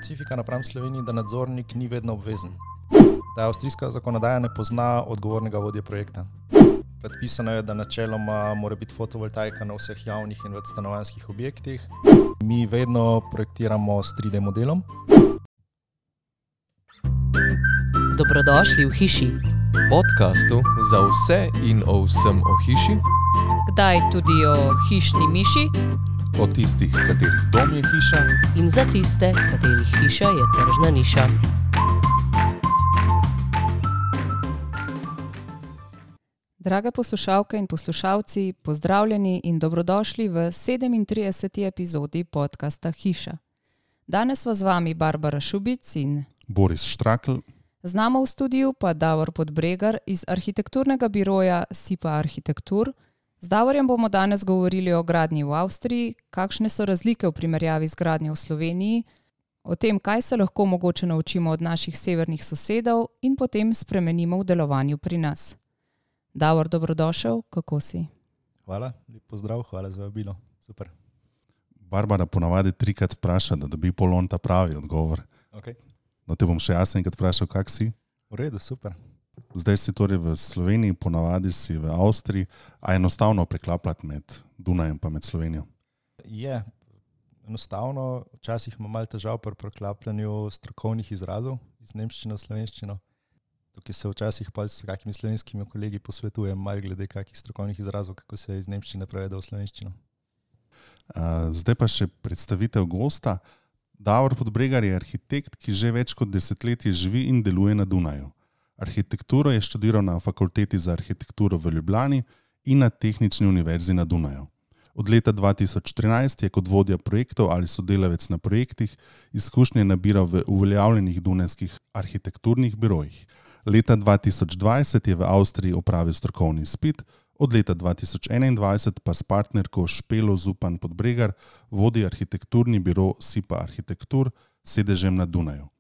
specifika napram Sloveniji, da nadzornik ni vedno obvezen. Da avstrijska zakonodaja ne pozna odgovornega vodje projekta. Predpisano je, da načeloma mora biti fotovoltaika na vseh javnih in večstanovanjskih objektih. Mi vedno projektiramo s 3D modelom. Dobrodošli v hiši. Podcastu za vse in o vsem o hiši. Kdaj tudi o hišni miši. O tistih, katerih dom je hiša. In za tiste, katerih hiša je tržna niša. Drage poslušalke in poslušalci, pozdravljeni in dobrodošli v 37. epizodi podcasta Hiša. Danes z vami Barbara Šubic in Boris Štrakl. Hvala, lep pozdrav, hvala za vabilo. Super. Barbara ponavadi 3-krat vpraša, da dobi polon ta pravi odgovor. Okay. No, te bom še jaz enkrat vprašal, kak si? V redu, super. Zdaj si torej v Sloveniji, ponavadi si v Avstriji, a enostavno preklapljati med Dunajem pa med Slovenijo? Je enostavno, včasih ima malo težav pri preklapljanju strokovnih izrazov iz nemščine v slovenščino. Tukaj se včasih pa s kakimi slovenskimi kolegi posvetujem malo glede kakih strokovnih izrazov, kako se iz nemščine prevede v slovenščino. Zdaj pa še predstavitev gosta. Davor Podbregar je arhitekt, ki že več kot desetletje živi in deluje na Dunaju. Arhitekturo je študiral na Fakulteti za arhitekturo v Ljubljani in na Tehnični univerzi na Dunaju. Od leta 2013 je kot vodja projektov ali sodelavec na projektih izkušnje nabiral v uveljavljenih dunajskih arhitekturnih birojih. Leta 2020 je v Avstriji opravil strokovni izpit, od leta 2021 pa s partnerko Špelo Zupan Podbregar vodi arhitekturni biro SIPA Arhitektur s sedežem na Dunaju.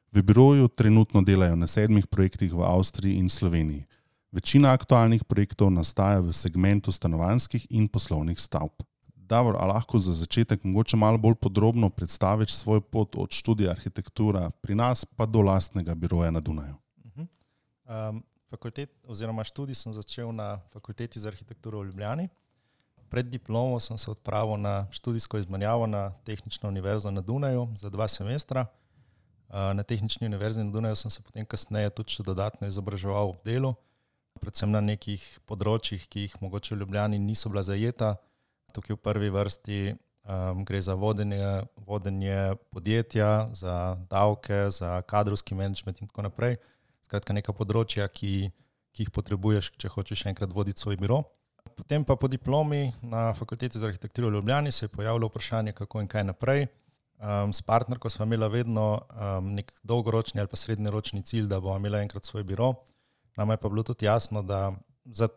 V biroju trenutno delajo na 7 projektih v Avstriji in Sloveniji. Večina aktualnih projektov nastaja v segmentu stanovanjskih in poslovnih stavb. Davor, a lahko za začetek mogoče malo bolj podrobno predstaviš svoj pot od študija arhitektura pri nas pa do lastnega biroja na Dunaju? Študij sem začel na Fakulteti za arhitekturo v Ljubljani. Pred diplomo sem se odpravil na študijsko izmenjavo na Tehnično univerzo na Dunaju za 2 semestra. Na Tehnični univerzi na Dunaju sem se potem kasneje tudi še dodatno izobraževal v delu, predvsem na nekih področjih, ki jih mogoče v Ljubljani niso bila zajeta. Tukaj v prvi vrsti gre za vodenje podjetja, za davke, za kadrovski menedžment in tako naprej. Skratka, neka področja, ki jih potrebuješ, če hočeš enkrat voditi svoj biro. Potem pa po diplomi na Fakulteti za arhitekturo v Ljubljani se je pojavilo vprašanje, kako in kaj naprej. S partnerko sva imela vedno nek dolgoročni ali pa srednjeročni cilj, da bomo imela enkrat svoj biro. Nama je pa bilo tudi jasno, da za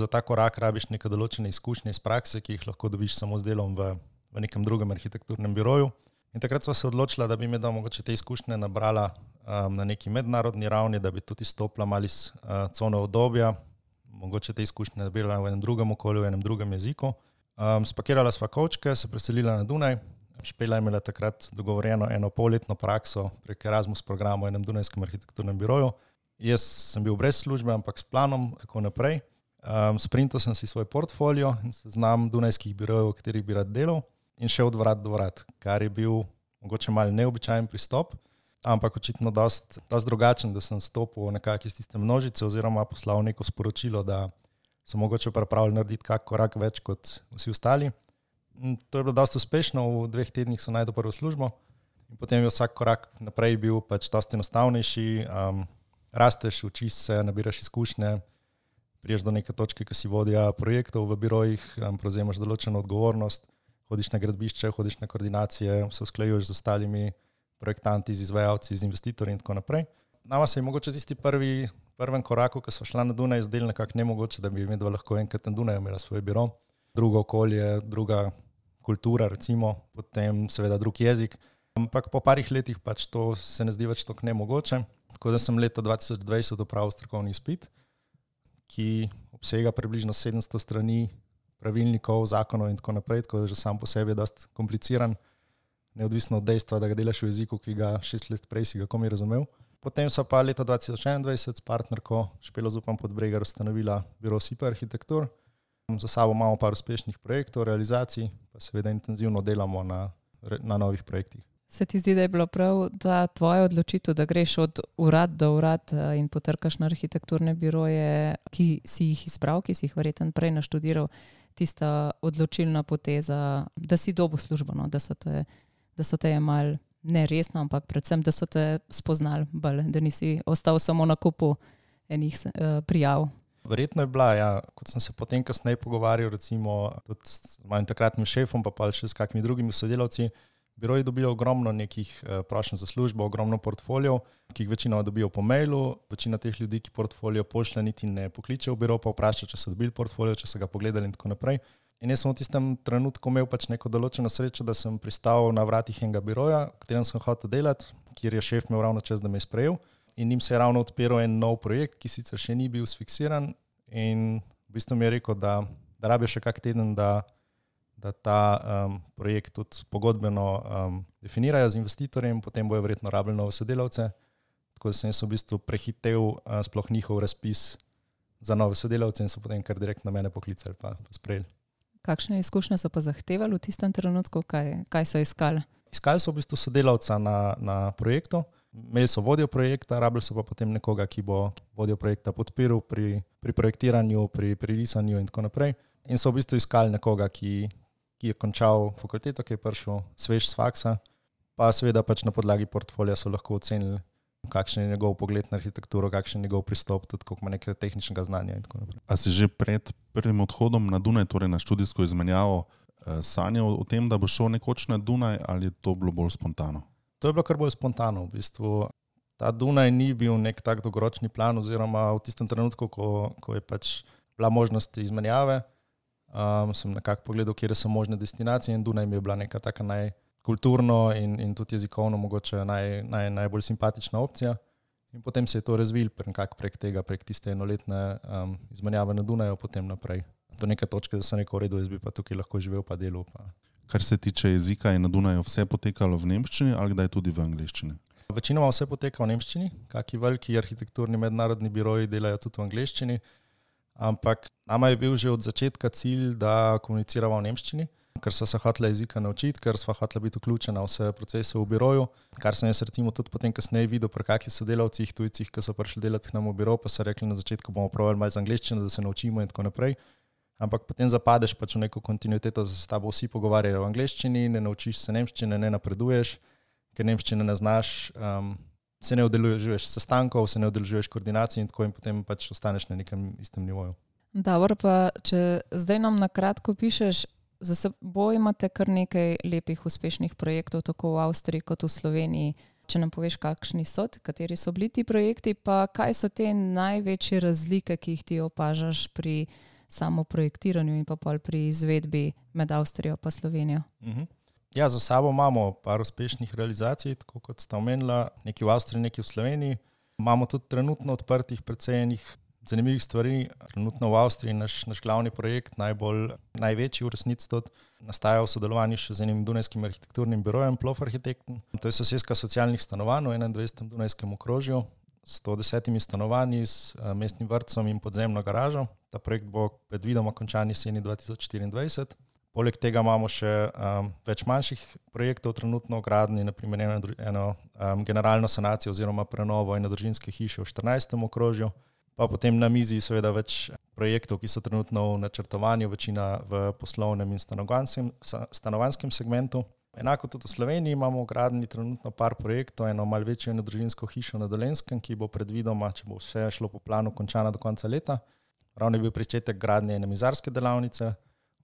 ta korak rabiš neke določene izkušnje iz prakse, ki jih lahko dobiš samo z delom v nekem drugem arhitekturnem biroju. In takrat sva se odločila, da bi mi mogoče te izkušnje nabrala na neki mednarodni ravni, da bi tudi stopila malo iz cone obdobja, mogoče te izkušnje nabirala v enem drugem okolju, v enem drugem jeziku. Spakirala sva kovčke, se preselila na Dunaj. Špela je imela takrat dogovorjeno 1,5-letno prakso prek Erasmus programa v enem dunajskem arhitekturnem biroju. Jaz sem bil brez službe, ampak s planom, kako naprej. Sprintal sem si svoj portfolio in seznam dunajskih birojev, v katerih bi rad delal, in šel od vrat do vrat, kar je bil mogoče malo neobičajen pristop, ampak očitno dosti drugačen, da sem stopil nekako iz tiste množice oziroma poslal neko sporočilo, da sem mogoče pripravljen narediti kak korak več kot vsi ostali. To je bilo dosti uspešno, v 2 tednih sem najdel prvo službo in potem je vsak korak naprej bil pač dosti enostavnejši. Rasteš, učiš se, nabiraš izkušnje, priješ do neke točke, ki si vodja projektov v birojih, prevzemaš določeno odgovornost, hodiš na gradbišče, hodiš na koordinacije, se usklajuješ z ostalimi projektanti, z izvajalci, z investitorji in tako naprej. Nama se je mogoče tisti prvem koraku, ko sva šla na Dunaj, zdelo nekako nemogoče, da bi medva lahko enkrat na Dunaju imela svoj biro. Drugo okolje, druga kultura, recimo, potem seveda drug jezik. Ampak po parih letih pač to se ne zdi več tako nemogoče. Tako da sem leta 2020 opravil strokovni izpit, ki obsega približno 700 strani pravilnikov, zakonov in tako naprej, tako da že sam po sebi je dosti kompliciran. neodvisno od dejstva, da ga delaš v jeziku, ki ga 6 let prej si ga komaj razumel. Potem so pa leta 2021 s partnerko Špelo Zupan Podbregar ustanovila biro SIPA Arhitektur. Za sabo imamo par uspešnih projektov, realizacij, pa seveda intenzivno delamo na novih projektih. Se ti zdi, da je bilo prav, da tvoja odločitev, da greš od urad do urad in potrkaš na arhitekturne biroje, ki si jih izbral, ki si jih verjetno prej naštudiral, tista odločilna poteza, da si dobil službo, no? da so te jemali ne resno, ampak predvsem, da so te spoznali bolj, da nisi ostal samo na kupu enih prijav. Verjetno je bila, ja, kot sem se potem kasneje pogovarjal, recimo tudi s mojim takratnim šefom, pa še s kakimi drugimi sodelavci, biro je dobil ogromno nekih prošenj za službo, ogromno portfolijev, ki jih večino dobijo po mailu. Večina teh ljudi, ki portfolio pošlje, niti ne pokliče v biro, pa vpraša, če so dobili portfolio, če so ga pogledali in tako naprej. In jaz sem v tistem trenutku imel pač neko določeno srečo, da sem pristal na vratih enega biroja, v katerem sem hotel delati, kjer je šef imel ravno čas, da me je sprejel. In njim se je ravno odpiral en nov projekt, ki sicer še ni bil sfiksiran, in v bistvu mi je rekel, da rabijo še kak teden, da ta projekt tudi pogodbeno definirajo z investitorjem, potem bojo verjetno rabili nove sodelavce. Tako da sem jaz v bistvu prehitel sploh njihov razpis za nove sodelavce in so potem kar direktno mene poklicali pa sprejeli. Kakšne izkušnje so pa zahtevali v tistem trenutku? Kaj so iskali? Iskali so v bistvu sodelavca na projektu. Imeli so vodjo projekta, rabili so pa potem nekoga, ki bo vodjo projekta podpiral pri projektiranju, pri risanju in tako naprej. In so v bistvu iskali nekoga, ki je končal fakulteto, ki je prišel svež z faksa, pa seveda pač na podlagi portfolija so lahko ocenili, kakšen je njegov pogled na arhitekturo, kakšen je njegov pristop, tudi koliko ima nekaj tehničnega znanja in tako naprej. A si že pred prvim odhodom na Dunaj, torej na študijsko izmenjavo, sanjal o tem, da bo šel nekoč na Dunaj, ali je to bilo bolj spontano? To je bilo kar bolj spontano. V bistvu ta Dunaj ni bil nek tak dolgoročni plan, oziroma v tistem trenutku, ko je pač bila možnost izmenjave, sem nekako pogledal, kje so možne destinacije, in Dunaj mi je bila neka taka najkulturno in tudi jezikovno mogoče najbolj simpatična opcija. In potem se je to razvil prek tiste enoletne izmenjave na Dunaju, potem naprej. Do neke točke, da sem rekel, v redu, jaz bi pa tukaj lahko živel pa delal. Kar se tiče jezika, je na Dunaju vse potekalo v nemščini ali kdaj tudi v angleščini? Večinoma vse poteka v nemščini, kaki veliki arhitekturni mednarodni biroji delajo tudi v angleščini, ampak nama je bil že od začetka cilj, da komuniciramo v nemščini, ker sva se hotela jezika naučiti, ker sva hotela biti vključena v vse procese v biroju, kar sem jaz recimo tudi potem kasneje videl pri kakih sodelavcih, tujcih, ki so prišli delati k nam v biro, pa so rekli na začetku, bomo probali malo z angleščino, da se naučimo in tako naprej. Ampak potem zapadeš pač v neko kontinuiteto, da se s tabo vsi pogovarjajo v angleščini, ne naučiš se nemščine, ne napreduješ, ker nemščine ne znaš, se ne udeležuješ sestankov, se ne udeležuješ koordinacij in tako, in potem pač ostaneš na nekem istem nivoju. Dobro, pa če zdaj nam na kratko pišeš, za seboj imate kar nekaj lepih uspešnih projektov, tako v Avstriji kot v Sloveniji. Če nam poveš, kakšni so, kateri so bili ti projekti, pa kaj so te največje razlike, ki jih ti opažaš pri samo projektiranju in pa pol pri izvedbi med Avstrijo pa Slovenijo? Ja, za sabo imamo par uspešnih realizacij, tako kot sta omenila, nekaj v Avstriji, nekaj v Sloveniji. Imamo tudi trenutno odprtih precej enih zanimivih stvari. Trenutno v Avstriji naš glavni projekt, največji v resnici tudi, nastaja v sodelovanju še z enim dunajskim arhitekturnim birojem Plof Architekten. To je soseska socialnih stanovanj v 21. dunajskem okrožju, 110 stanovanji s mestnim vrtcem in podzemno garažo. Ta projekt bo predvidoma končan jeseni 2024. Poleg tega imamo še več manjših projektov trenutno v gradnji, naprimer eno generalno sanacijo oziroma prenovo enodružinske hiše v 14. okrožju. Pa potem na mizi seveda več projektov, ki so trenutno v načrtovanju, večina v poslovnem in stanovanjskem segmentu. Enako tudi v Sloveniji imamo v gradnji trenutno par projektov, eno malo večjo enodružinsko hišo na Dolenjskem, ki bo predvidoma, če bo vse šlo po planu, končana do konca leta. Ravno je bil pričetek gradnje ene mizarske delavnice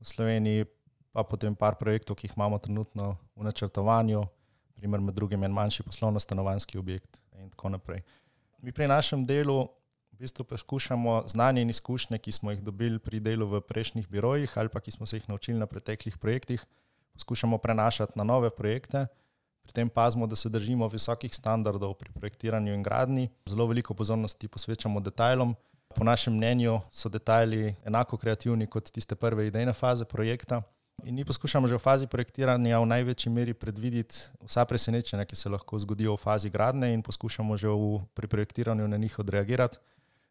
v Sloveniji, pa potem par projektov, ki jih imamo trenutno v načrtovanju, primer med drugim en manjši poslovno-stanovanjski objekt in tako naprej. Mi pri našem delu v bistvu poskušamo znanje in izkušnje, ki smo jih dobili pri delu v prejšnjih birojih ali pa ki smo se jih naučili na preteklih projektih, poskušamo prenašati na nove projekte. Pri tem pazimo, da se držimo visokih standardov pri projektiranju in gradnji. Zelo veliko pozornosti posvečamo detajlom. Po našem mnenju so detajli enako kreativni kot tiste prve idejne faze projekta. In mi poskušamo že v fazi projektiranja v največji meri predvideti vsa presenečenja, ki se lahko zgodijo v fazi gradnje in poskušamo že pri projektiranju na njih odreagirati.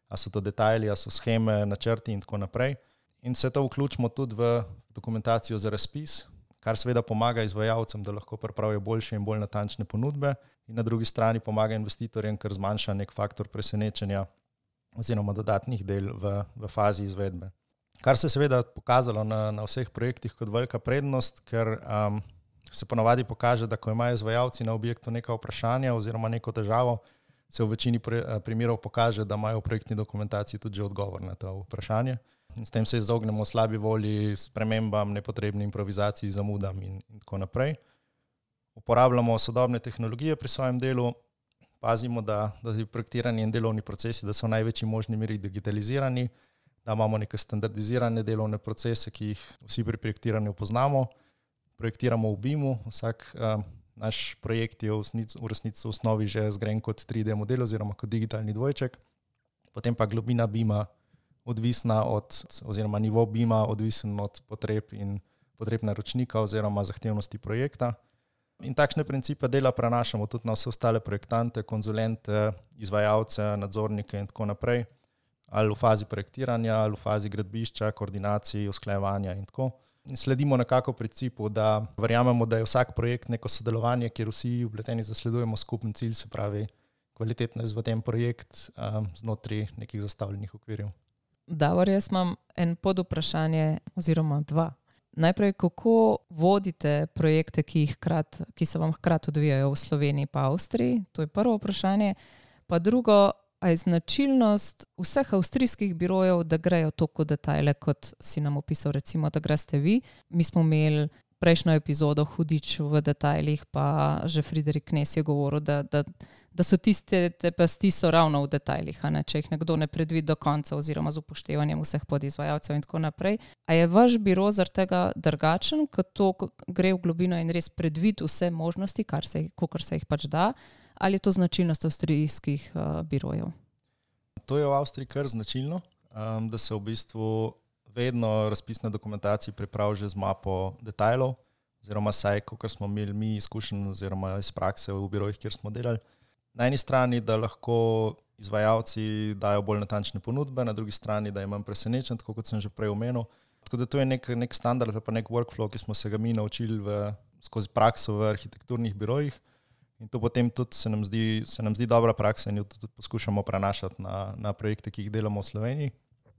A so to detajli, a so sheme, načrti in tako naprej. In vse to vključimo tudi v dokumentacijo za razpis, kar seveda pomaga izvajalcem, da lahko pripravijo boljše in bolj natančne ponudbe in na drugi strani pomaga investitorjem, ker zmanjša nek faktor presenečenja oziroma dodatnih del v fazi izvedbe. Kar se seveda pokazalo na vseh projektih kot velika prednost, ker se ponavadi pokaže, da ko imajo izvajalci na objektu neka vprašanja oziroma neko težavo, se v večini primerov pokaže, da imajo v projektni dokumentaciji tudi že odgovor na to vprašanje. In s tem se izognemo slabi volji, spremembam, nepotrebni improvizaciji, zamudam in tako naprej. Uporabljamo sodobne tehnologije pri svojem delu, pazimo, da je projektiranje in delovni procesi, da so v največji možni meri digitalizirani, da imamo neke standardizirane delovne procese, ki jih vsi pri projektiranju poznamo. Projektiramo v BIM-u, vsak naš projekt je v resnici v osnovi že zgrajen kot 3D model oziroma kot digitalni dvojček, potem pa globina BIM-a odvisna oziroma nivo BIM-a odvisen od potreb naročnika oziroma zahtevnosti projekta. In takšne principe dela prenašamo tudi na vse ostale projektante, konzulente, izvajalce, nadzornike in tako naprej, ali v fazi projektiranja, ali v fazi gradbišča, koordinacij, usklajevanja in tako. In sledimo nekako principu, da verjamemo, da je vsak projekt neko sodelovanje, kjer vsi vpleteni zasledujemo skupen cilj, se pravi kvalitetno izveden projekt znotraj nekih zastavljenih okvirjev. Davor, jaz imam en podvprašanje oziroma dva. Najprej, kako vodite projekte, ki se vam hkrati odvijajo v Sloveniji pa Avstriji? To je prvo vprašanje. Pa drugo, a je značilnost vseh avstrijskih birojev, da grejo toliko detajle, kot si nam opisal, recimo, da greste vi. Mi smo imeli prejšnjo epizodo Hudič v detajlih, pa že Friderik Knez je govoril, da so tiste pasti so ravno v detajlih, če jih nekdo ne predvidi do konca oziroma z upoštevanjem vseh podizvajalcev in tako naprej. A je vaš biro zaradi tega drugačen, ko to gre v globino in res predvidi vse možnosti, kakor se jih pač da, ali je to značilnost avstrijskih birojev? To je v Avstriji kar značilno, da se v bistvu vedno razpisne dokumentacije pripravi že z mapo detajlov, oziroma saj, kakor smo imeli mi izkušenj oziroma iz prakse v birojih, kjer smo delali. Na eni strani, da lahko izvajalci dajo bolj natančne ponudbe, na drugi strani, da je manj presenečen, tako kot sem že prej omenil. Tako da to je nek standard, pa nek workflow, ki smo se ga mi naučili skozi prakso v arhitekturnih birojih. In to potem tudi se nam zdi dobra praksa in jo tudi poskušamo prenašati na projekte, ki jih delamo v Sloveniji.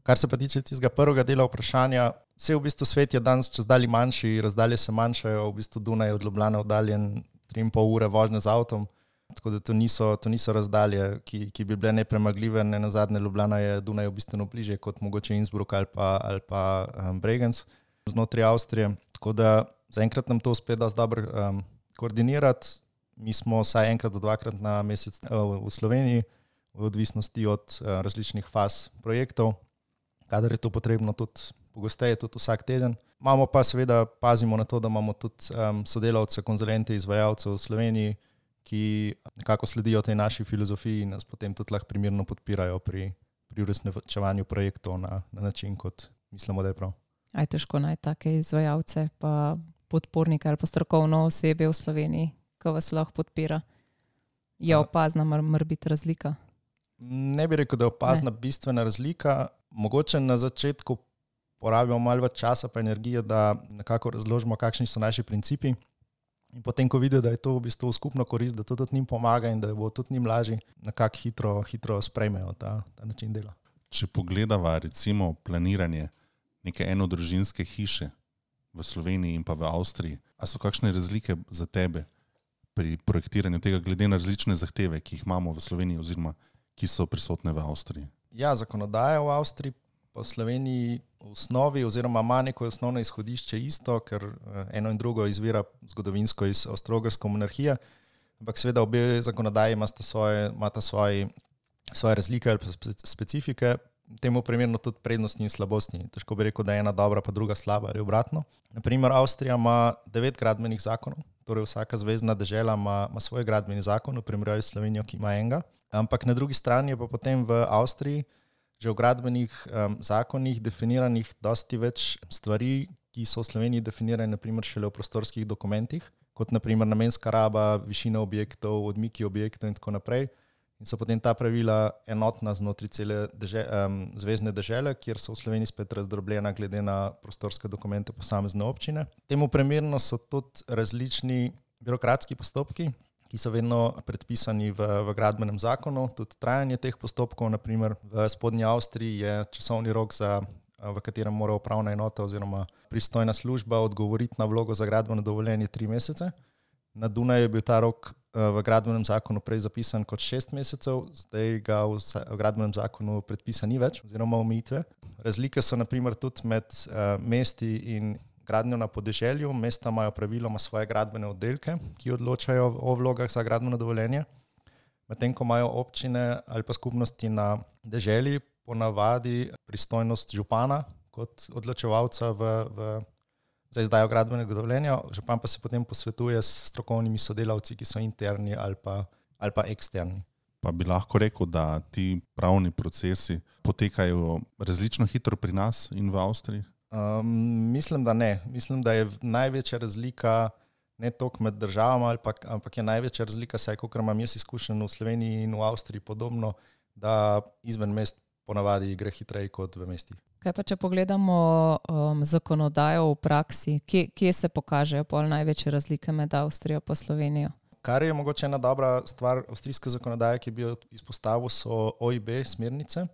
Kar se pa tiče tistega prvega dela vprašanja, vse v bistvu svet je danes čezdalje manjši, razdalje se manjšajo, v bistvu Dunaj je od Ljubljane oddaljen 3,5 ure vožnje z avtom, tako da to niso razdalje, ki bi bile nepremagljive. Ne nazadnje Ljubljana je Dunaj bistveno bližje kot mogoče Innsbruck ali pa Bregenz znotraj Avstrije. Tako da zaenkrat nam to uspe dosti dobro koordinirati. Mi smo vsaj enkrat do dvakrat na mesec v Sloveniji, v odvisnosti od različnih faz projektov, kadar je to potrebno tudi pogosteje, tudi vsak teden. Imamo pa seveda, pazimo na to, da imamo tudi sodelavce, konzulente, izvajalce v Sloveniji, ki nekako sledijo tej naši filozofiji in nas potem tudi lahko primerno podpirajo pri uresničevanju projektov na način, kot mislimo, da je prav. Aj težko najti take izvajalce, pa podpornike ali pa strokovno osebje v Sloveniji, ki vas lahko podpira. Je opazna morebiti razlika? Ne bi rekel, da je opazna bistvena razlika. Mogoče na začetku porabimo malo več časa pa energije, da nekako razložimo, kakšni so naši principi. In potem, ko vidijo, da je to v bistvu skupno korist, da to tudi njim pomaga in da bo tudi njim lažje, nekako hitro sprejmejo ta način dela. Če pogledava recimo planiranje neke enodružinske hiše v Sloveniji in pa v Avstriji, a so kakšne razlike za tebe pri projektiranju tega glede na različne zahteve, ki jih imamo v Sloveniji oziroma ki so prisotne v Avstriji? Ja, zakonodaja v Avstriji pa v Sloveniji v osnovi oziroma ima neko osnovno izhodišče isto, ker eno in drugo izvira zgodovinsko iz Avstro-Ogrske monarhije, ampak seveda obe zakonodaji imata svoje razlike ali specifike, temu primerno tudi prednosti in slabosti. Težko bi rekel, da je ena dobra pa druga slaba ali obratno. Naprimer, Avstrija ima 9 gradbenih zakonov, torej vsaka zvezna dežela ima svoj gradbeni zakon, v primerjavi s Slovenijo, ki ima enega. Ampak na drugi strani je pa potem v Avstriji že v gradbenih zakonih definiranih dosti več stvari, ki so v Sloveniji definirani naprimer šele v prostorskih dokumentih, kot naprimer namenska raba, višina objektov, odmiki objektov in tako naprej. In so potem ta pravila enotna znotraj cele zvezne dežele, kjer so v Sloveniji spet razdrobljena glede na prostorske dokumente posamezne občine. Temu primerno so tudi različni birokratski postopki, ki so vedno predpisani v gradbenem zakonu. Tudi trajanje teh postopkov, naprimer v Spodnji Avstriji je časovni rok, v katerem mora upravna enota oziroma pristojna služba odgovoriti na vlogo za gradbeno dovoljenje 3 mesece. Na Dunaju je bil ta rok v gradbenem zakonu prej zapisan kot 6 mesecev, zdaj ga v gradbenem zakonu predpisa ni več oziroma omejitve. Razlike so naprimer tudi med mesti in gradnjo na podeželju. Mesta imajo praviloma svoje gradbene oddelke, ki odločajo o vlogah za gradbeno dovoljenje, medtem ko imajo občine ali pa skupnosti na deželi ponavadi pristojnost župana kot odločevalca za izdajo gradbenega dovoljenja. Župan pa se potem posvetuje s strokovnimi sodelavci, ki so interni ali pa eksterni. Pa bi lahko rekel, da ti pravni procesi potekajo različno hitro pri nas in v Avstriji? Mislim, da ne. Mislim, da je največja razlika ne toliko med državama, ampak je največja razlika, saj kolikor imam jaz izkušen v Sloveniji in v Avstriji podobno, da izven mest ponavadi gre hitreje kot v mestih. Kaj pa, če pogledamo zakonodajo v praksi, kje se pokažejo pol največje razlike med Avstrijo pa Slovenijo? Kar je mogoče ena dobra stvar avstrijske zakonodaje, ki bi jo izpostavil, so OIB smernice.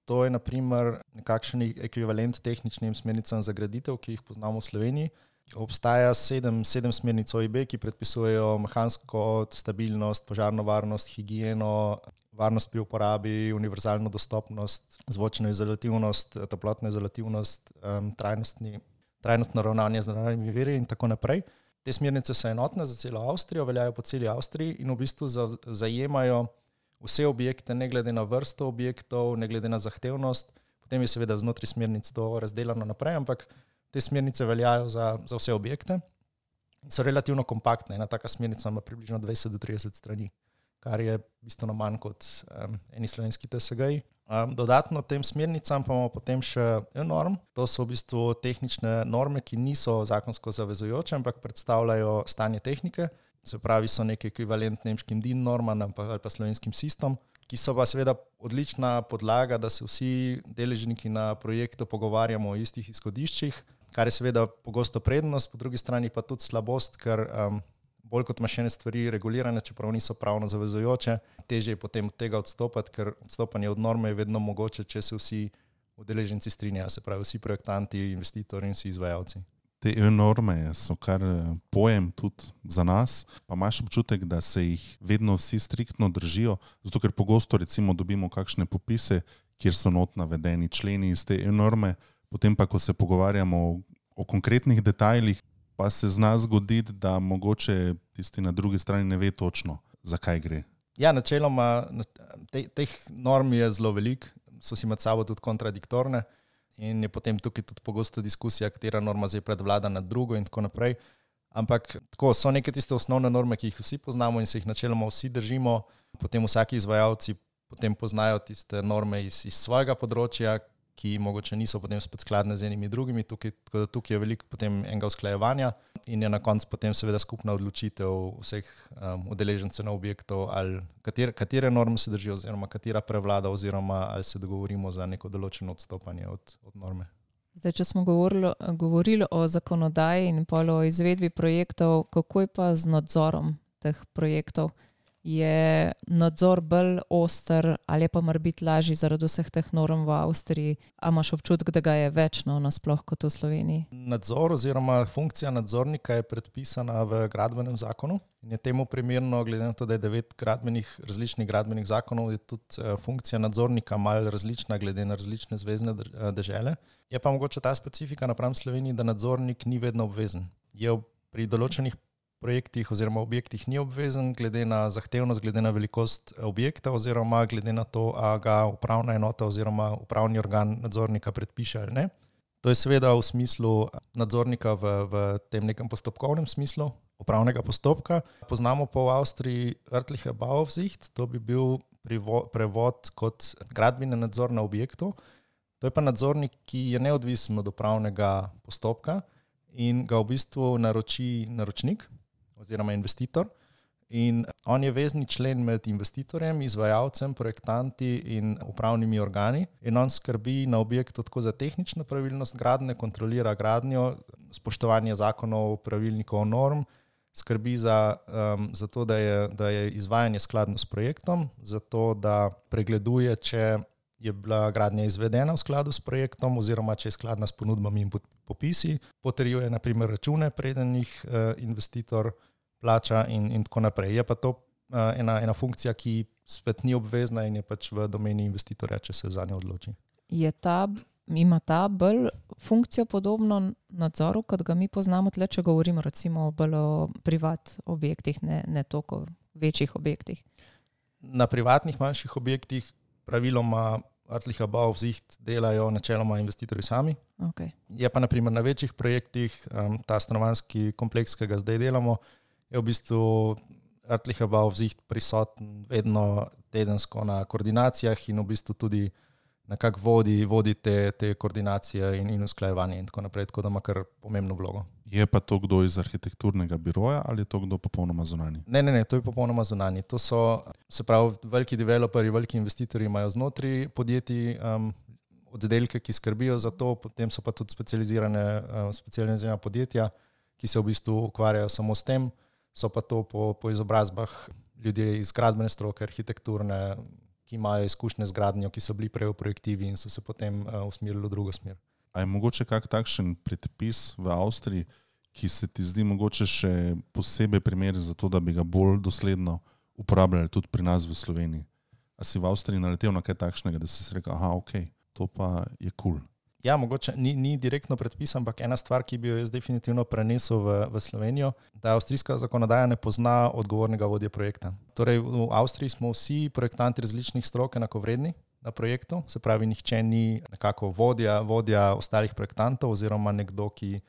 To je naprimer nekakšen ekvivalent tehničnim smernicam za graditev, ki jih poznamo v Sloveniji. Obstaja 7 smernic OIB, ki predpisujejo mehansko stabilnost, požarno varnost, higieno, varnost pri uporabi, univerzalno dostopnost, zvočno izolativnost, toplotno izolativnost, trajnostno ravnanje z naravnimi viri in tako naprej. Te smernice so enotne za celo Avstrijo, veljajo po celi Avstriji in v bistvu zajemajo vse objekte, ne glede na vrsto objektov, ne glede na zahtevnost. Potem je seveda znotraj smernic to razdeljeno naprej, ampak te smernice veljajo za vse objekte. So relativno kompaktne. Ena taka smernica ima približno 20 do 30 strani, kar je bistveno manj kot eni slovenski TSG-ji. Dodatno tem smernicam pa imamo potem še norm. To so v bistvu tehnične norme, ki niso zakonsko zavezujoče, ampak predstavljajo stanje tehnike. Se pravi, so neki ekvivalent nemškim DIN normam ali pa slovenskim SIStom, ki so pa seveda odlična podlaga, da se vsi deležniki na projektu pogovarjamo o istih izhodiščih, kar je seveda pogosto prednost, po drugi strani pa tudi slabost, ker bolj kot imaš ene stvari regulirane, čeprav niso pravno zavezujoče, težje je potem od tega odstopati, ker odstopanje od norme je vedno mogoče, če se vsi udeleženci strinjajo, se pravi vsi projektanti, investitorji in vsi izvajalci. Te norme so kar pojem tudi za nas, pa imaš občutek, da se jih vedno vsi striktno držijo, zato ker pogosto recimo dobimo kakšne popise, kjer so not navedeni členi iz te norme, potem pa, ko se pogovarjamo o konkretnih detajlih, pa se zna zgoditi, da mogoče tisti na drugi strani ne ve točno, zakaj gre. Ja, načeloma teh norm je zelo veliko, so si med sabo tudi kontradiktorne in je potem tukaj tudi pogosto diskusija, katera norma zdaj predvlada nad drugo in tako naprej. Ampak tako, so neke tiste osnovne norme, ki jih vsi poznamo in se jih načeloma vsi držimo, potem vsaki izvajalci potem poznajo tiste norme iz svojega področja, ki mogoče niso potem spet skladne z enimi drugimi, tukaj je veliko potem enega usklajevanja in je na koncu potem seveda skupna odločitev vseh udeležencev na objektov, ali katere norme se držijo oziroma katera prevlada oziroma ali se dogovorimo za neko določeno odstopanje od norme. Zdaj, če smo govorili o zakonodaji in o izvedbi projektov, kako je pa z nadzorom teh projektov? Je nadzor bolj oster ali je pa morebiti lažji zaradi vseh teh norm v Avstriji? A imaš občutek, da ga je več nasploh kot v Sloveniji? Nadzor oziroma funkcija nadzornika je predpisana v gradbenem zakonu in je temu primerno, glede na to, da je 9 različnih gradbenih zakonov, je tudi funkcija nadzornika malo različna glede na različne zvezne dežele. Je pa mogoče ta specifika napram Sloveniji, da nadzornik ni vedno obvezen. Je pri določenih projektih oziroma objektih ni obvezen, glede na zahtevnost, glede na velikost objekta oziroma glede na to, a ga upravna enota oziroma upravni organ nadzornika predpiše ali ne. To je seveda v smislu nadzornika v tem nekem postopkovnem smislu upravnega postopka. Poznamo pa v Avstriji örtliche Bauaufsicht, to bi bil prevod kot gradbeni nadzor na objektu. To je pa nadzornik, ki je neodvisen od upravnega postopka in ga v bistvu naroči naročnik oziroma investitor. In on je vezni člen med investitorjem, izvajalcem, projektanti in upravnimi organi. In on skrbi na objektu tako za tehnično pravilnost gradnje, kontrolira gradnjo, spoštovanje zakonov, pravilnikov, norm, skrbi za to, da je izvajanje skladno s projektom, za to, da pregleduje, če je bila gradnja izvedena v skladu s projektom oziroma če je skladna s ponudbami in popisi, potrjuje na primer račune, preden jih investitor plača in tako naprej. Je pa to ena funkcija, ki spet ni obvezna in je pač v domeni investitorja, če se za njo odloči. Ima ta bolj funkcijo podobno nadzoru, kot ga mi poznamo tle, če govorimo recimo bolj o privat objektih, ne toliko večjih objektih? Na privatnih manjših objektih praviloma örtlicher Bauaufsicht delajo načeloma investitorji sami. Okay. Je pa na primer na večjih projektih, ta stanovanjski kompleks, ki ga zdaj delamo, je v bistvu örtlicher Bauaufsicht prisoten vedno tedensko na koordinacijah in v bistvu tudi nekako vodi te koordinacije in usklajevanje in tako naprej, tako da ima kar pomembno vlogo. Je pa to kdo iz arhitekturnega biroja ali je to kdo popolnoma zunanji? Ne, to je popolnoma zunanji. To so, se pravi, veliki developerji, veliki investitorji imajo znotraj podjetij oddelke, ki skrbijo za to, potem so pa tudi specializirana podjetja, ki se v bistvu ukvarjajo samo s tem, so pa to po izobrazbah ljudje iz gradbene stroke, arhitekturne, ki imajo izkušnje z gradnjo, ki so bili prej v projektivi in so se potem usmerili v drugo smer. A je mogoče kak takšen predpis v Avstriji, ki se ti zdi mogoče še posebej primer za to, da bi ga bolj dosledno uporabljali tudi pri nas v Sloveniji? A si v Avstriji naletel na kaj takšnega, da si rekel, to pa je cool? Ja, mogoče ni direktno predpisan, ampak ena stvar, ki bi jo jaz definitivno prenesel v Slovenijo, da avstrijska zakonodaja ne pozna odgovornega vodje projekta. Torej v Avstriji smo vsi projektanti različnih strok enakovredni na projektu, se pravi, nihče ni nekako vodja ostalih projektantov oziroma nekdo, ki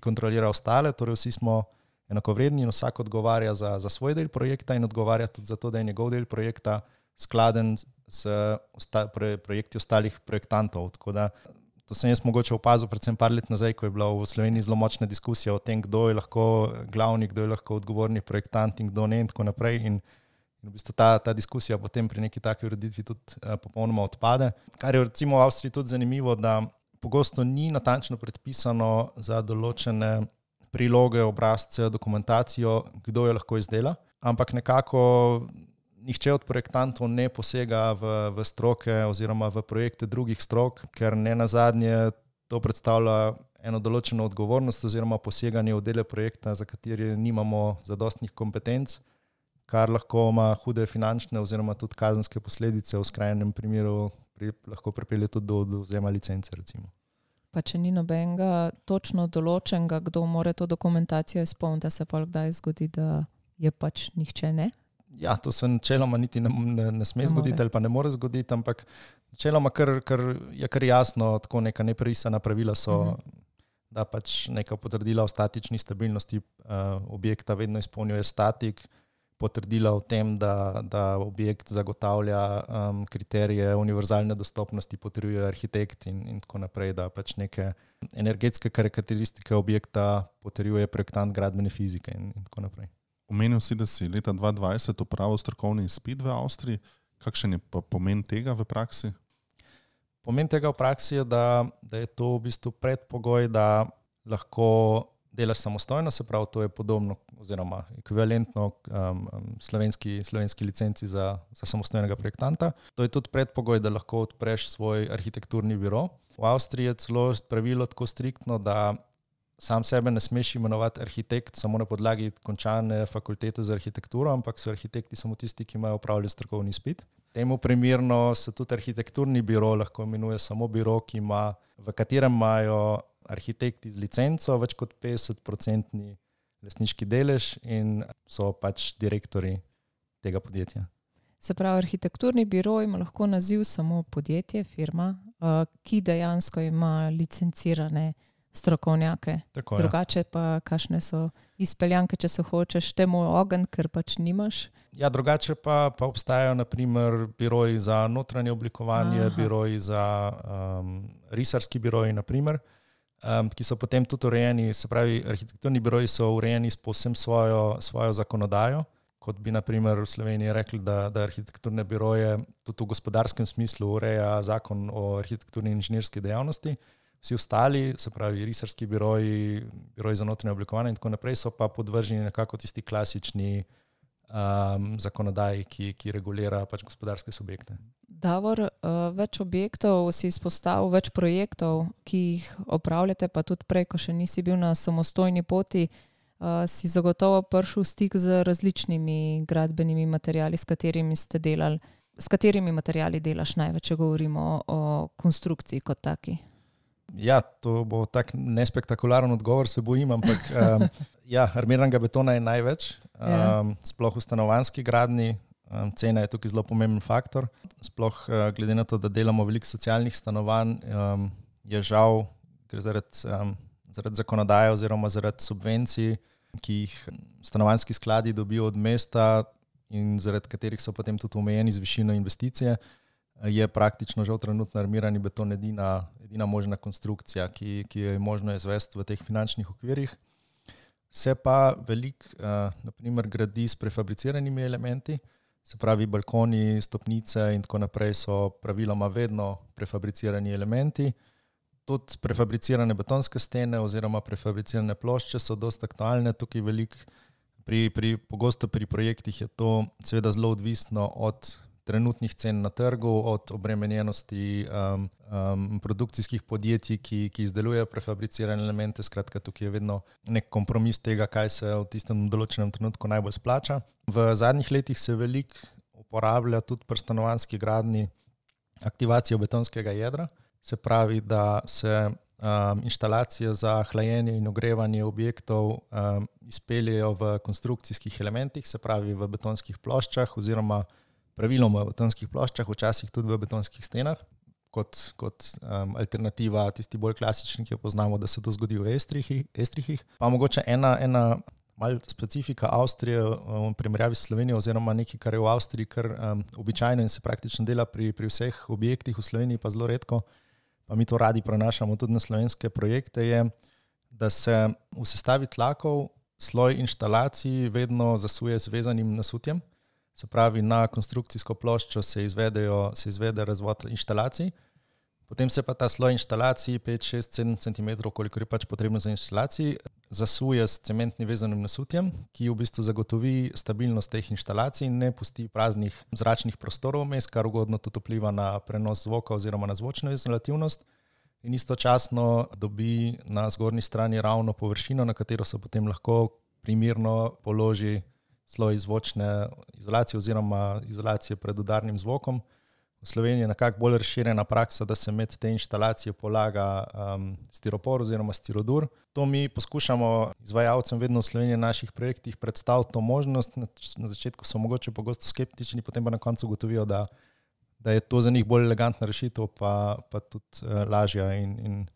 kontrolira ostale, torej vsi smo enakovredni in vsak odgovarja za svoj del projekta in odgovarja tudi za to, da je njegov del projekta skladen s projekti ostalih projektantov. Tako da to sem jaz mogoče opazil predvsem par let nazaj, ko je bila v Sloveniji zelo močna diskusija o tem, kdo je lahko glavni, kdo je lahko odgovorni projektant in kdo ne in tako naprej. In v bistvu ta diskusija potem pri neki taki ureditvi tudi popolnoma odpade. Kar je recimo v Avstriji tudi zanimivo, da pogosto ni natančno predpisano za določene priloge, obrazce, dokumentacijo, kdo jo lahko izdela, ampak nekako nihče od projektantov ne posega v stroke oziroma v projekte drugih strok, ker ne nazadnje to predstavlja eno določeno odgovornost oziroma poseganje v dele projekta, za kateri nimamo zadostnih kompetenc, kar lahko ima hude finančne oziroma tudi kazenske posledice, v skrajnem primeru lahko pripelje tudi do odvzema licence recimo. Pa če ni nobenega točno določenega, kdo mora to dokumentacijo izpolniti, da se pa kdaj zgodi, da je pač nihče ne? Ja, to se načeloma niti ne sme zgoditi ali pa ne more zgoditi, ampak načeloma je kar jasno, tako neka neprisana pravila so, da pač neka potrdila o statični stabilnosti objekta vedno izpolnjuje statik, potrdila o tem, da objekt zagotavlja kriterije univerzalne dostopnosti, potrjuje arhitekt in tako naprej, da pač neke energetske karakteristike objekta potrjuje projektant gradbene fizike in tako naprej. Omenil si, da si leta 2020 opravil strokovni izpit v Avstriji. Kakšen je pa pomen tega v praksi? Pomen tega v praksi je, da je to v bistvu predpogoj, da lahko delaš samostojno, se pravi, to je podobno oziroma ekvivalentno slovenski licenci za samostojnega projektanta. To je tudi predpogoj, da lahko odpreš svoj arhitekturni biro. V Avstriji je celo pravilo tako striktno, da sam sebe ne smeš imenovati arhitekt samo na podlagi končane fakultete za arhitekturo, ampak so arhitekti samo tisti, ki imajo opravljen strokovni izpit. Temu primerno se tudi arhitekturni biro lahko imenuje samo biro, v katerem imajo arhitekti z licenco več kot 50% lastniški delež in so pač direktori tega podjetja. Se pravi, arhitekturni biro ima lahko naziv samo podjetje, firma, ki dejansko ima licencirane strokovnjake. Tako, Drugače pa kakšne so izpeljanke, če se hočeš temu ogenj, ker pač nimaš? Ja, drugače pa obstajajo naprimer biroji za notranje oblikovanje, biroji za risarski biroji, naprimer, ki so potem tudi urejeni, se pravi, arhitekturni biroji so urejeni s povsem svojo zakonodajo, kot bi naprimer v Sloveniji rekli, da arhitekturne biroje tudi v gospodarskem smislu ureja zakon o arhitekturni in inženirski dejavnosti. Vsi ostali, se pravi risarski biroji, biroji za notranje oblikovanje in tako naprej, so pa podvrženi nekako tisti klasični zakonodaji, ki regulira pač gospodarske subjekte. Davor, več objektov si izpostavil, več projektov, ki jih opravljate, pa tudi prej, ko še nisi bil na samostojni poti, si zagotovo prišel v stik z različnimi gradbenimi materiali, s katerimi ste delali. S katerimi materiali delaš največ, če govorimo o konstrukciji kot taki? Ja, to bo tak nespektakularen odgovor, se bojim, ampak armiranega betona je največ, sploh v stanovanjski gradnji, cena je tukaj zelo pomemben faktor, sploh glede na to, da delamo veliko socialnih stanovanj, je žal, ker zaradi zakonodaje oziroma zaradi subvencij, ki jih stanovanjski skladi dobijo od mesta in zaradi katerih so potem tudi omejeni z višino investicije, je praktično žal trenutno armirani beton edina možna konstrukcija, ki jo je možno izvesti v teh finančnih okvirih. Se pa veliko naprimer gradi s prefabriciranimi elementi, se pravi balkoni, stopnice in tako naprej so praviloma vedno prefabricirani elementi. Tudi prefabricirane betonske stene oziroma prefabricirane plošče so dosti aktualne, tukaj veliko, pogosto pri projektih je to seveda zelo odvisno od trenutnih cen na trgu, od obremenjenosti produkcijskih podjetij, ki izdelujejo prefabricirane elemente. Skratka, tukaj je vedno nek kompromis tega, kaj se v tistem določenem trenutku najbolj splača. V zadnjih letih se veliko uporablja tudi pri stanovanjski gradnji aktivacijo betonskega jedra. Se pravi, da se inštalacije za hlajenje in ogrevanje objektov izpeljejo v konstrukcijskih elementih, se pravi v betonskih ploščah oziroma praviloma v betonskih ploščah, včasih tudi v betonskih stenah, kot alternativa tisti bolj klasični, ki jo poznamo, da se to zgodi v estrihih. Pa mogoče ena malo specifika Avstrije v primerjavi s Slovenijo oziroma nekaj, kar je v Avstriji kar običajno in se praktično dela pri vseh objektih, v Sloveniji pa zelo redko, pa mi to radi prenašamo tudi na slovenske projekte, je, da se v sestavi tlakov sloj inštalacij vedno zasuje z vezanim nasutjem. Se pravi, na konstrukcijsko ploščo se izvede razvod inštalacij, potem se pa ta sloj inštalacij 5, 6, 7 cm, koliko je pač potrebno za inštalacij, zasuje s cementnim vezanim nasutjem, ki v bistvu zagotovi stabilnost teh inštalacij in ne pusti praznih zračnih prostorov vmes, kar ugodno tudi vpliva na prenos zvoka oziroma na zvočno izolativnost in istočasno dobi na zgornji strani ravno površino, na katero se potem lahko primerno položi sloj zvočne izolacije oziroma izolacije pred udarnim zvokom. V Sloveniji je nekako bolj razširjena praksa, da se med te inštalacije polaga stiropor oziroma stirodur. To mi poskušamo izvajalcem vedno v Sloveniji na naših projektih predstaviti to možnost. Na začetku so mogoče pogosto skeptični, potem pa na koncu ugotovijo, da je to za njih bolj elegantna rešitev, pa tudi lažja in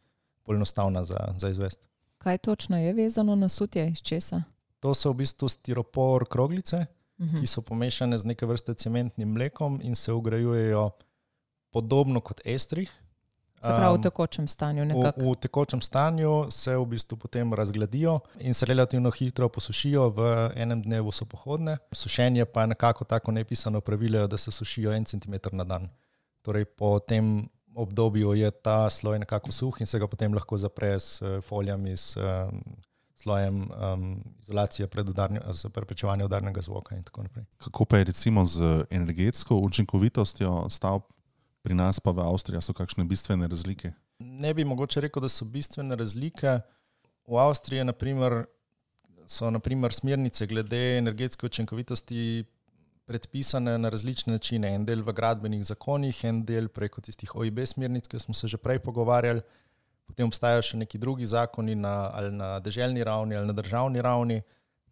bolj enostavna za izvesti. Kaj točno je vezano na sutje, iz česa? To so v bistvu stiropor kroglice, ki so pomešane z neke vrste cementnim mlekom in se vgrajujejo podobno kot estrih. Se pravi v tekočem stanju nekako? V tekočem stanju se v bistvu potem razgladijo in se relativno hitro posušijo, v enem dnevu so pohodne. Sušenje pa je nekako tako nepisano pravilo, da se sušijo 1 cm na dan. Torej po tem obdobju je ta sloj nekako suh in se ga potem lahko zapre s folijami, s slojem izolacije za preprečevanje udarnega zvoka in tako naprej. Kako pa je recimo z energetsko učinkovitostjo stavb pri nas pa v Avstriji, so kakšne bistvene razlike? Ne bi mogoče rekel, da so bistvene razlike. V Avstriji so smernice glede energetske učinkovitosti predpisane na različne načine. En del v gradbenih zakonih, en del preko tistih OIB smernic, ki smo se že prej pogovarjali. Potem obstajajo še neki drugi zakoni ali na deželni ravni ali na državni ravni.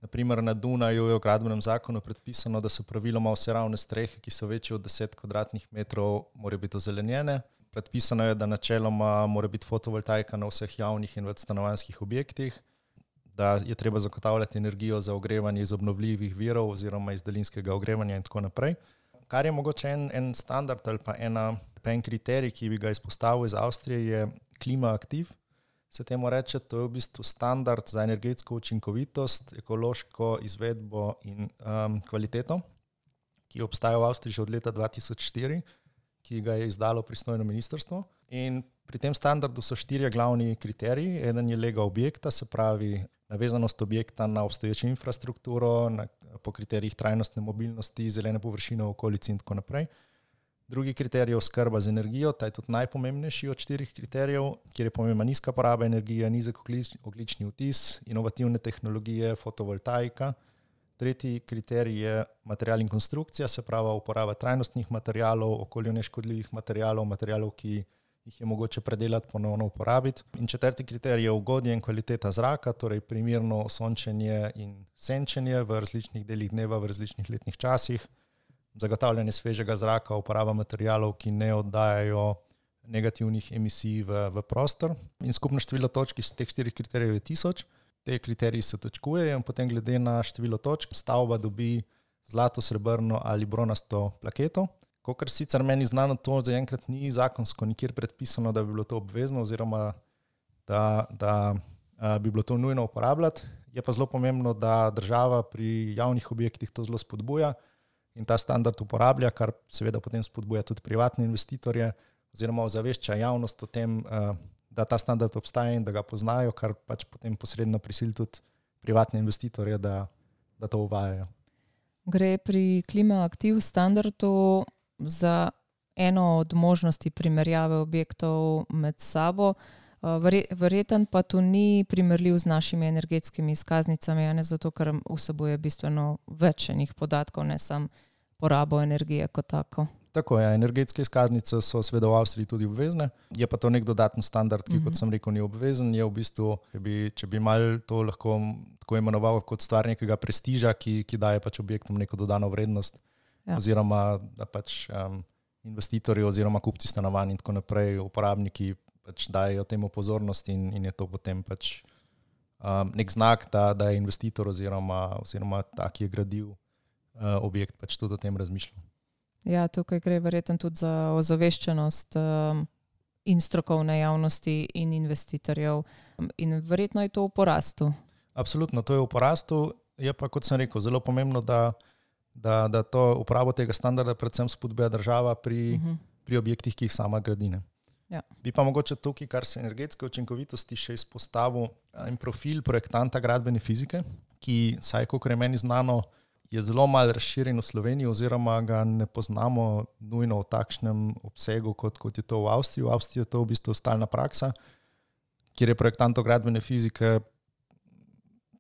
Naprimer na Dunaju je v gradbenem zakonu predpisano, da so praviloma vse ravne strehe, ki so večje od 10 kvadratnih metrov, morajo biti ozelenjene. Predpisano je, da načeloma mora biti fotovoltaika na vseh javnih in večstanovanjskih objektih, da je treba zagotavljati energijo za ogrevanje iz obnovljivih virov oziroma iz daljinskega ogrevanja in tako naprej. Kar je mogoče en standard ali pa en kriterij, ki bi ga izpostavil iz Avstrije, je KlimaAktiv. Se temu reče, to je v bistvu standard za energetsko učinkovitost, ekološko izvedbo in kvaliteto, ki obstaja v Avstriji že od leta 2004, ki ga je izdalo pristojno ministrstvo. In pri tem standardu so 4 glavni kriteriji. Eden je lega objekta, se pravi navezanost objekta na obstoječo infrastrukturo, po kriterijih trajnostne mobilnosti, zelene površine v okolici in tako naprej. Drugi kriterij je oskrba z energijo, ta je tudi najpomembnejši od 4 kriterijev, kjer je pomembna nizka poraba energije, nizek ogljični odtis, inovativne tehnologije, fotovoltaika. Tretji kriterij je material in konstrukcija, se pravi uporaba trajnostnih materialov, okolju neškodljivih materialov, ki jih je mogoče predelati, ponovno uporabiti. In četrti kriterij je ugodje in kvaliteta zraka, torej primerno sončenje in senčenje v različnih delih dneva, v različnih letnih časih, zagotavljanje svežega zraka, uporaba materialov, ki ne oddajajo negativnih emisij v prostor. In skupno število točk iz teh 4 kriterijev je 1000. Te kriteriji se točkujejo in potem glede na število točk stavba dobi zlato, srebrno ali bronasto plaketo. Kakor sicer meni znano, to zaenkrat ni zakonsko nikjer predpisano, da bi bilo to obvezno oziroma da bi bilo to nujno uporabljati. Je pa zelo pomembno, da država pri javnih objektih to zelo spodbuja in ta standard uporablja, kar seveda potem spodbuja tudi privatne investitorje oziroma ozavešča javnost o tem, da ta standard obstaja in da ga poznajo, kar pač potem posredno prisili tudi privatne investitorje, da to uvajajo. Gre pri KlimaAktiv standardu za eno od možnosti primerjave objektov med sabo. Verjeten pa to ni primerljiv z našimi energetskimi izkaznicami, ne zato, ker vsebuje bistveno več enih podatkov, ne samo porabo energije kot tako. Tako je, energetske izkaznice so seveda v Avstriji tudi obvezne, je pa to nek dodaten standard, ki, kot sem rekel, ni obvezen. Je v bistvu, če bi mal to lahko tako imenoval kot stvar nekega prestiža, ki daje pač objektom neko dodano vrednost, oziroma da pač investitorji oziroma kupci stanovanj in tako naprej, uporabniki pač dajo temu pozornost in je to potem pač nek znak, da je investitor oziroma ta, ki je gradil objekt, pač tudi o tem razmišljal. Ja, tukaj gre verjetno tudi za ozaveščenost in strokovne javnosti in investitorjev in verjetno je to v porastu. Absolutno, to je v porastu, je pa, kot sem rekel, zelo pomembno, da to uporabo tega standarda predvsem spodbuja država pri objektih, ki jih sama gradi. Ja. Bi pa mogoče tukaj, kar se energetske učinkovitosti, še izpostavil en profil projektanta gradbene fizike, ki, saj kolikor je meni znano, je zelo malo razširjen v Sloveniji oziroma ga ne poznamo nujno v takšnem obsegu, kot je to v Avstriji. V Avstriji je to v bistvu stalna praksa, kjer je projektantov gradbene fizike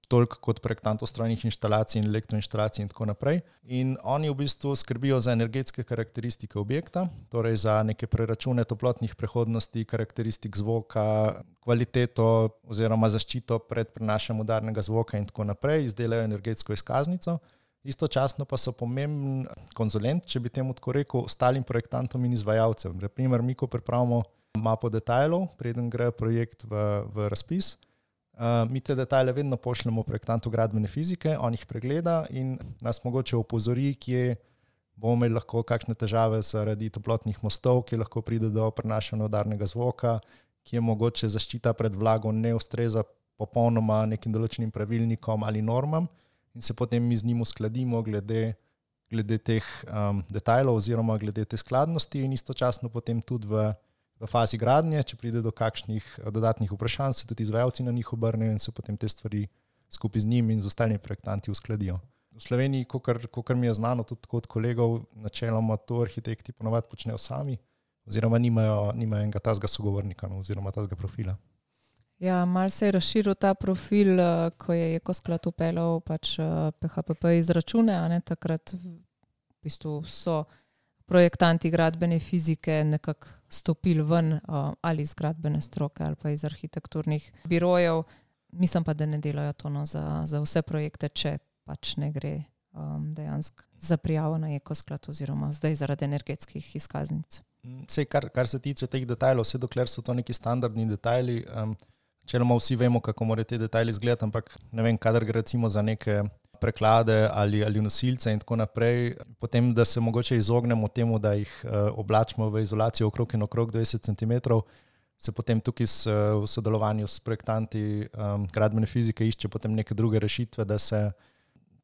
toliko kot projektantov strojnih inštalacij in elektroinštalacij in tako naprej. In oni v bistvu skrbijo za energetske karakteristike objekta, torej za neke preračune toplotnih prehodnosti, karakteristik zvoka, kvaliteto oziroma zaščito pred prenašanjem udarnega zvoka in tako naprej, izdelajo energetsko izkaznico. Istočasno pa so pomemben konzulent, če bi temu tako rekel, ostalim projektantom in izvajalcem. Na primer, mi, ko pripravimo mapo detajlov, preden gre projekt v razpis, mi te detajle vedno pošljemo projektantu gradbene fizike, on jih pregleda in nas mogoče opozori, kje bomo imeli lahko kakšne težave zaradi toplotnih mostov, kje lahko pride do prenašanja udarnega zvoka, kje mogoče zaščita pred vlago ne ustreza popolnoma nekim določenim pravilnikom ali normam. In se potem mi z njim uskladimo glede teh detajlov oziroma glede te skladnosti in istočasno potem tudi v fazi gradnje, če pride do kakšnih dodatnih vprašanj, se tudi izvajalci na njih obrnejo in se potem te stvari skupaj z njim in z ostalimi projektanti uskladijo. V Sloveniji, kakor mi je znano tudi od kolegov, načeloma to arhitekti ponovadi počnejo sami oziroma nimajo enega tazga sogovornika oziroma tazga profila. Ja, malo se je razširil ta profil, ko je Ekosklad upeljal pač PHPP izračune, takrat v bistvu so projektanti gradbene fizike nekako stopili ven ali iz gradbene stroke ali pa iz arhitekturnih birojev. Mislim pa, da ne delajo to za vse projekte, če pač ne gre dejansko za prijavo na Ekosklad oziroma zdaj zaradi energetskih izkaznic. Vse, kar se tiče teh detajlov, vse dokler so to neki standardni detajli, načeloma vsi vemo, kako morajo te detajli izgledati, ampak ne vem, kadar gre recimo za neke preklade ali nosilce in tako naprej, potem, da se mogoče izognemo temu, da jih oblačimo v izolacijo okrog in okrog 20 cm, se potem tukaj v sodelovanju s projektanti gradbene fizike išče potem neke druge rešitve, da se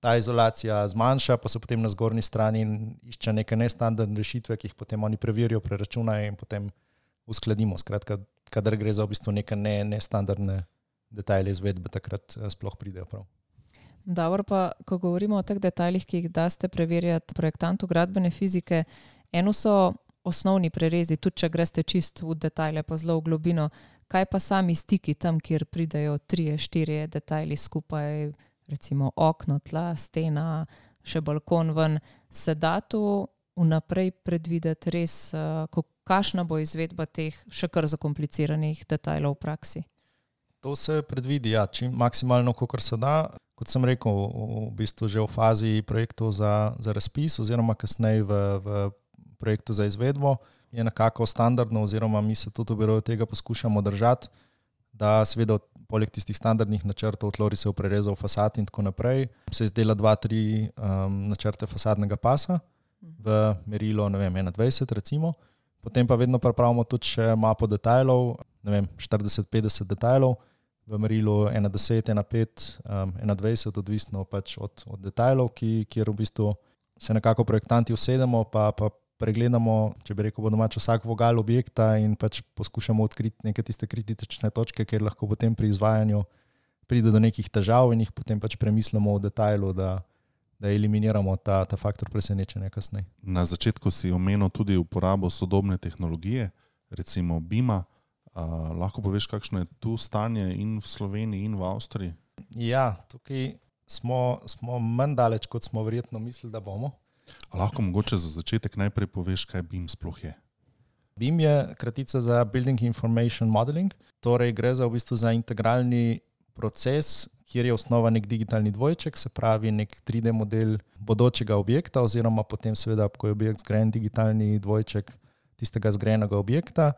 ta izolacija zmanjša, pa se potem na zgornji strani išče neke nestandardne rešitve, ki jih potem oni preverijo, preračunajo in potem uskladimo. Skratka, kadar gre za v bistvu neke nestandardne detajle izvedbe, takrat sploh pridejo prav. Dobro, pa ko govorimo o teh detajlih, ki jih daste preverjati projektantu gradbene fizike, eno so osnovni prerezi, tudi če greste čist v detajle, pa zelo v globino. Kaj pa sami stiki tam, kjer pridejo 3-4 detajli skupaj, recimo okno, tla, stena, še balkon ven, se da to vnaprej predvideti res, kakšna bo izvedba teh še kar zakompliciranih detajlov v praksi? To se predvidi, ja, čim maksimalno, kolikor se da. Kot sem rekel, v bistvu že v fazi projektov za razpis oziroma kasneje v projektu za izvedbo je nekako standardno oziroma mi se tudi v biroju tega poskušamo držati, da seveda poleg tistih standardnih načrtov, tlorisov, prerezov, fasad in tako naprej, se izdela 2-3 načrte fasadnega pasa v merilo, 21 recimo. Potem pa vedno pripravimo tudi še mapo detajlov, 40-50 detajlov, v merilu 1:10, 1:5, 1:20, odvisno pač od detajlov, kjer v bistvu se nekako projektanti usedemo, pa pregledamo, če bi rekel po domače, vsak vogal objekta in pač poskušamo odkriti neke tiste kritične točke, kjer lahko potem pri izvajanju pride do nekih težav in jih potem pač premislimo v detajlu, da eliminiramo ta faktor presenečenja kasneje. Na začetku si omenil tudi uporabo sodobne tehnologije, recimo BIM-a. Lahko poveš, kakšno je tu stanje in v Sloveniji in v Avstriji? Ja, tukaj smo manj daleč, kot smo verjetno mislili, da bomo. Lahko mogoče za začetek najprej poveš, kaj BIM sploh je? BIM je kratica za Building Information Modeling, torej gre za v bistvu za integralni proces, kjer je osnova nek digitalni dvojček, se pravi nek 3D model bodočega objekta oziroma potem seveda, ko je objekt zgrajen, digitalni dvojček tistega zgrajenega objekta,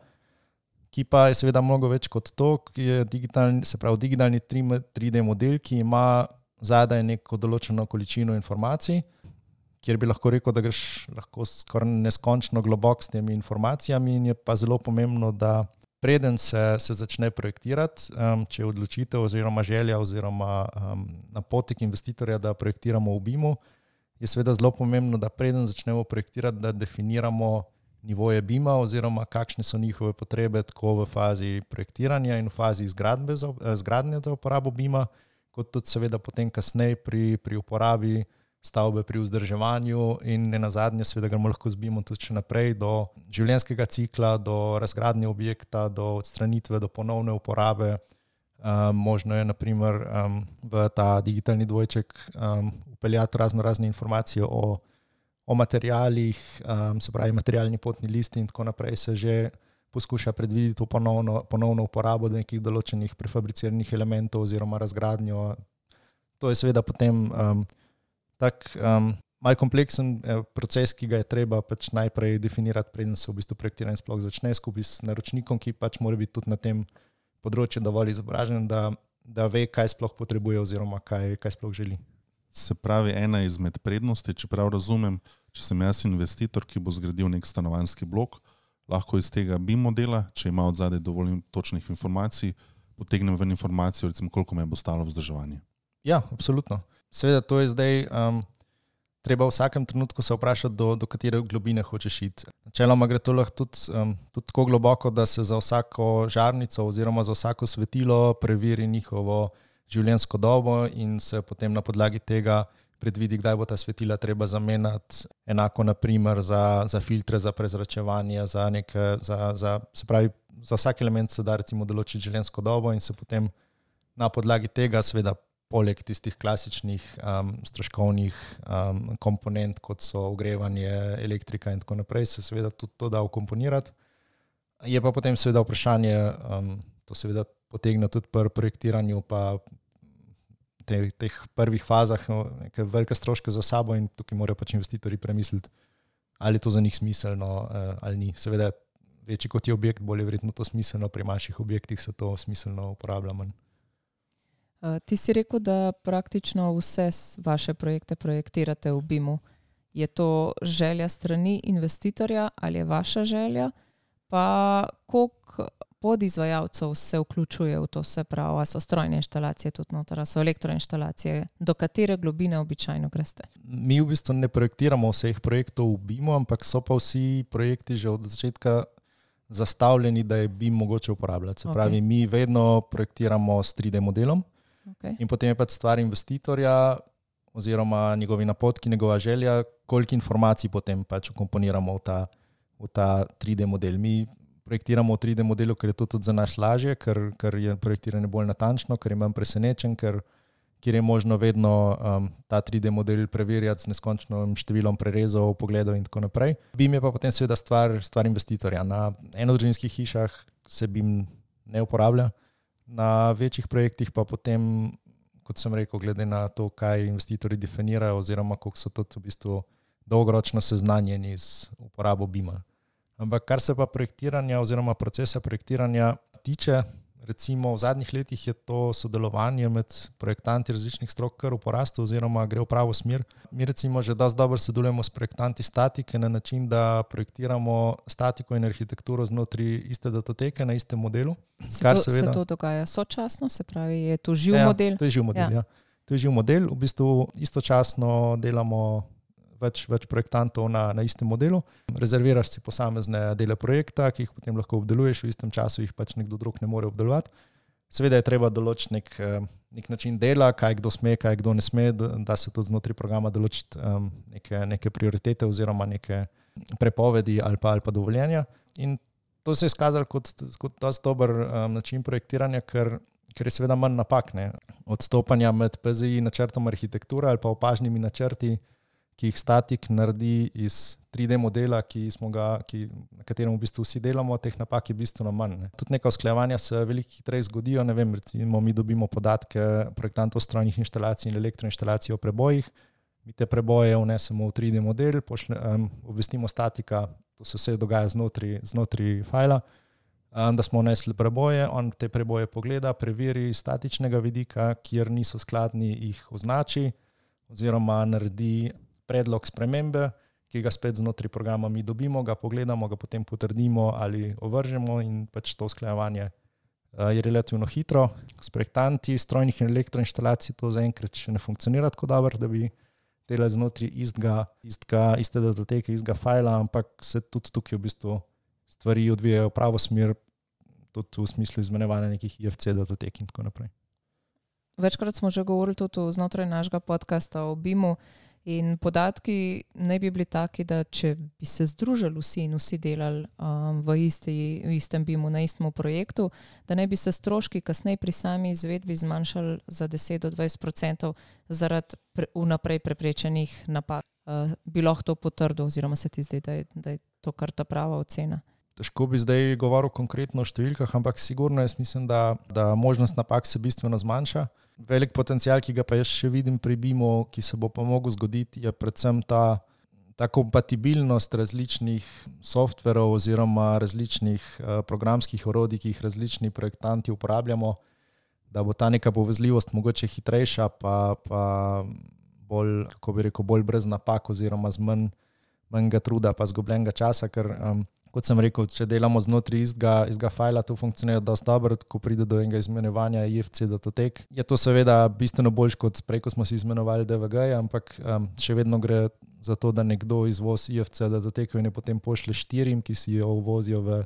ki pa je seveda mnogo več kot to, ki je digitalni 3D model, ki ima zadaj neko določeno količino informacij, kjer bi lahko rekel, da greš lahko skoraj neskončno globok s temi informacijami in je pa zelo pomembno, da preden se začne projektirati, če je odločitev oziroma želja oziroma napotek investitorja, da projektiramo v BIM-u, je seveda zelo pomembno, da preden začnemo projektirati, da definiramo nivoje BIM-a oziroma kakšne so njihove potrebe tako v fazi projektiranja in v fazi izgradnje za uporabo BIM-a, kot tudi seveda potem kasneje pri uporabi stavbe, pri vzdrževanju in nenazadnje seveda gremo lahko z BIM-om tudi še naprej do življenjskega cikla, do razgradnje objekta, do odstranitve, do ponovne uporabe. Možno je naprimer v ta digitalni dvojček upeljati razne informacije o materialih, se pravi materialni potni listi in tako naprej se že poskuša predvideti ponovno uporabo do nekih določenih prefabriciranih elementov oziroma razgradnjo. To je seveda potem malo kompleksen proces, ki ga je treba pač najprej definirati, preden se v bistvu projektiranje sploh začne skupaj s naročnikom, ki pač mora biti tudi na tem področju dovolj izobražen, da ve, kaj sploh potrebuje oziroma kaj sploh želi. Se pravi, ena izmed prednosti, če prav razumem, če sem jaz investitor, ki bo zgradil nek stanovanjski blok, lahko iz tega BIM modela, če ima od zadaj dovolj točnih informacij, potegnem ven informacijo, recimo koliko me bo stalo vzdrževanje. Ja, absolutno. Seveda to je zdaj treba v vsakem trenutku se vprašati, do katere globine hočeš iti. Načeloma gre to lahko tudi tako globoko, da se za vsako žarnico oziroma za vsako svetilo preveri njihovo življenjsko dobo in se potem na podlagi tega predvidi, kdaj bo ta svetila treba zamenjati. Enako naprimer za filtre, za prezračevanje, se pravi, za vsak element se da recimo določiti življenjsko dobo in se potem na podlagi tega seveda poleg tistih klasičnih stroškovnih komponent, kot so ogrevanje, elektrika in tako naprej, se seveda tudi to da vkomponirati. Je pa potem seveda vprašanje, to seveda potegne tudi pri projektiranju, pa teh prvih fazah neke velike stroške za sabo in tukaj morajo pač investitorji premisliti, ali je to za njih smiselno ali ni. Seveda, večji kot je objekt, bolj je verjetno to smiselno, pri manjših objektih se to smiselno uporablja manj. Ti si rekel, da praktično vse vaše projekte projektirate v BIM-u. Je to želja strani investitorja ali je vaša želja? Pa koliko podizvajalcev se vključuje v to, se pravi, a so strojne inštalacije tudi noter, a so elektroinštalacije, do katere globine običajno greste? Mi v bistvu ne projektiramo vseh projektov v BIM-u, ampak so pa vsi projekti že od začetka zastavljeni, da je BIM mogoče uporabljati. Se pravi, mi vedno projektiramo s 3D modelom in potem je pač stvar investitorja oziroma njegovi napotki, njegova želja, koliko informacij potem pač ukomponiramo v ta 3D model. Mi projektiramo v 3D modelu, ker je to tudi za nas lažje, ker je projektiranje bolj natančno, ker je manj presenečen, ker je možno vedno ta 3D model preverjati z neskončnim številom prerezov, pogledov in tako naprej. BIM je pa potem seveda stvar investitorja. Na enodružinskih hišah se BIM ne uporablja, na večjih projektih pa potem, kot sem rekel, glede na to, kaj investitorji definirajo oziroma koliko so tudi v bistvu dolgoročno seznanjeni z uporabo BIM-a. Ampak kar se pa projektiranja oziroma procesa projektiranja tiče, recimo v zadnjih letih je to sodelovanje med projektanti različnih strok kar v porastu oziroma gre v pravo smer. Mi recimo že dosti dobro sodelujemo s projektanti statike na način, da projektiramo statiko in arhitekturo znotraj iste datoteke na istem modelu. Se to dogaja sočasno, se pravi, je to živ model? To je živ model, ja. To je živ model, v bistvu istočasno delamo več projektantov na istem modelu. Rezerviraš si posamezne dele projekta, ki jih potem lahko obdeluješ, v istem času jih pač nekdo drug ne more obdelovati. Seveda je treba določiti nek način dela, kaj kdo sme, kaj kdo ne sme, da se tudi znotraj programa določiti neke prioritete oziroma neke prepovedi ali pa dovoljenja. In to se je izkazalo kot dosti dober način projektiranja, ker je seveda manj napak, ne. Odstopanja med PZI načrtom arhitekture ali pa opažnimi načrti, ki jih statik naredi iz 3D modela, na katerem v bistvu vsi delamo, teh napak je bistveno manj. Ne. Tudi neka usklajevanja se veliko hitreje zgodijo, ne vem, recimo mi dobimo podatke projektantov strojnih inštalacij in elektroinštalacij o prebojih, mi te preboje vnesemo v 3D model, obvestimo statika, to se vse dogaja znotraj fajla, da smo vnesli preboje, on te preboje pogleda, preveri statičnega vidika, kjer niso skladni, jih označi oziroma naredi predlog spremembe, ki ga spet znotraj programa mi dobimo, ga pogledamo, ga potem potrdimo ali ovržemo in pač to usklajevanje je relativno hitro. S projektanti strojnih in elektroinštalacij to zaenkrat še ne funkcionira tako dobro, da bi delali znotraj iste datoteke, istega fajla, ampak se tudi tukaj v bistvu stvari odvijajo v pravo smer, tudi v smislu izmenjevanja nekih IFC datotek in tako naprej. Večkrat smo že govorili tudi znotraj našega podcasta o BIM-u in podatki naj bi bili taki, da če bi se združili vsi in vsi delali v istem BIM-u, na istem projektu, da naj bi se stroški kasneje pri sami izvedbi zmanjšali za 10-20% zaradi vnaprej preprečenih napak. Bi lahko to potrdil oziroma se ti zdi, da je to kar ta prava ocena? Težko bi zdaj govoril konkretno o številkah, ampak sigurno jaz mislim, da možnost napak se bistveno zmanjša. Velik potencial, ki ga pa jaz še vidim pri BIM-u, ki se bo pa mogel zgoditi, je predvsem ta kompatibilnost različnih softverov oziroma različnih programskih orodij, ki jih različni projektanti uporabljamo, da bo ta neka povezljivost mogoče hitrejša, pa bolj, kako bi rekel, bolj brez napak oziroma z manjega truda pa zgubljenega časa, ker kot sem rekel, če delamo znotraj istega fajla, to funkcionira dosti dobro, ko pride do enega izmenjevanja IFC datotek. Je to seveda bistveno boljš kot prej, ko smo si izmenjevali DVG, ampak še vedno gre za to, da nekdo izvozi IFC datoteko in je potem pošlje 4, ki si jo uvozijo v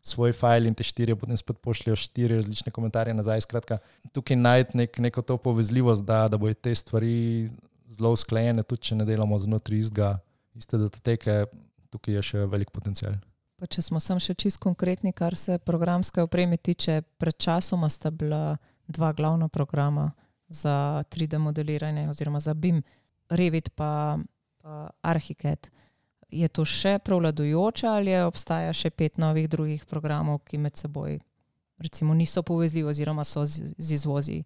svoj fajl in te 4 potem spet pošljejo 4 različne komentarje nazaj. Skratka, tukaj najti neko to povezljivost, da bojo te stvari zelo usklajene, tudi če ne delamo znotraj iste datoteke, tukaj je še velik potencial. Pa če smo sam še čisto konkretni, kar se programske opreme tiče, pred časoma sta bila 2 glavna programa za 3D modeliranje oziroma za BIM, Revit pa Archicad. Je to še prevladujoče ali obstaja še 5 novih drugih programov, ki med seboj recimo niso povezljivi oziroma so z izvozi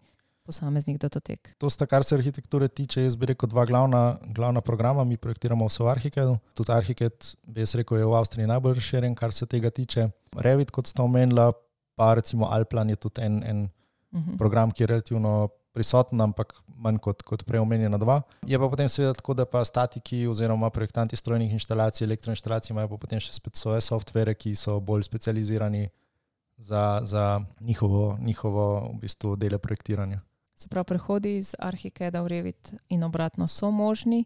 posameznih datotek. To sta, kar se arhitekture tiče, jaz bi rekel, dva glavna programa. Mi projektiramo vse v Archicadu. Tudi Archicad, bi jaz rekel, je v Avstriji najbolj razširjen, kar se tega tiče. Revit, kot sta omenila, pa recimo Alplan je tudi en program, ki je relativno prisoten, ampak manj kot prej omenjena dva. Je pa potem seveda tako, da pa statiki oziroma projektanti strojnih inštalacij, elektroinštalacij imajo pa potem še spet svoje softvere, ki so bolj specializirani za njihovo v bistvu dele projektiranja. Se pravi, prehodi iz Archicada v Revit in obratno so možni,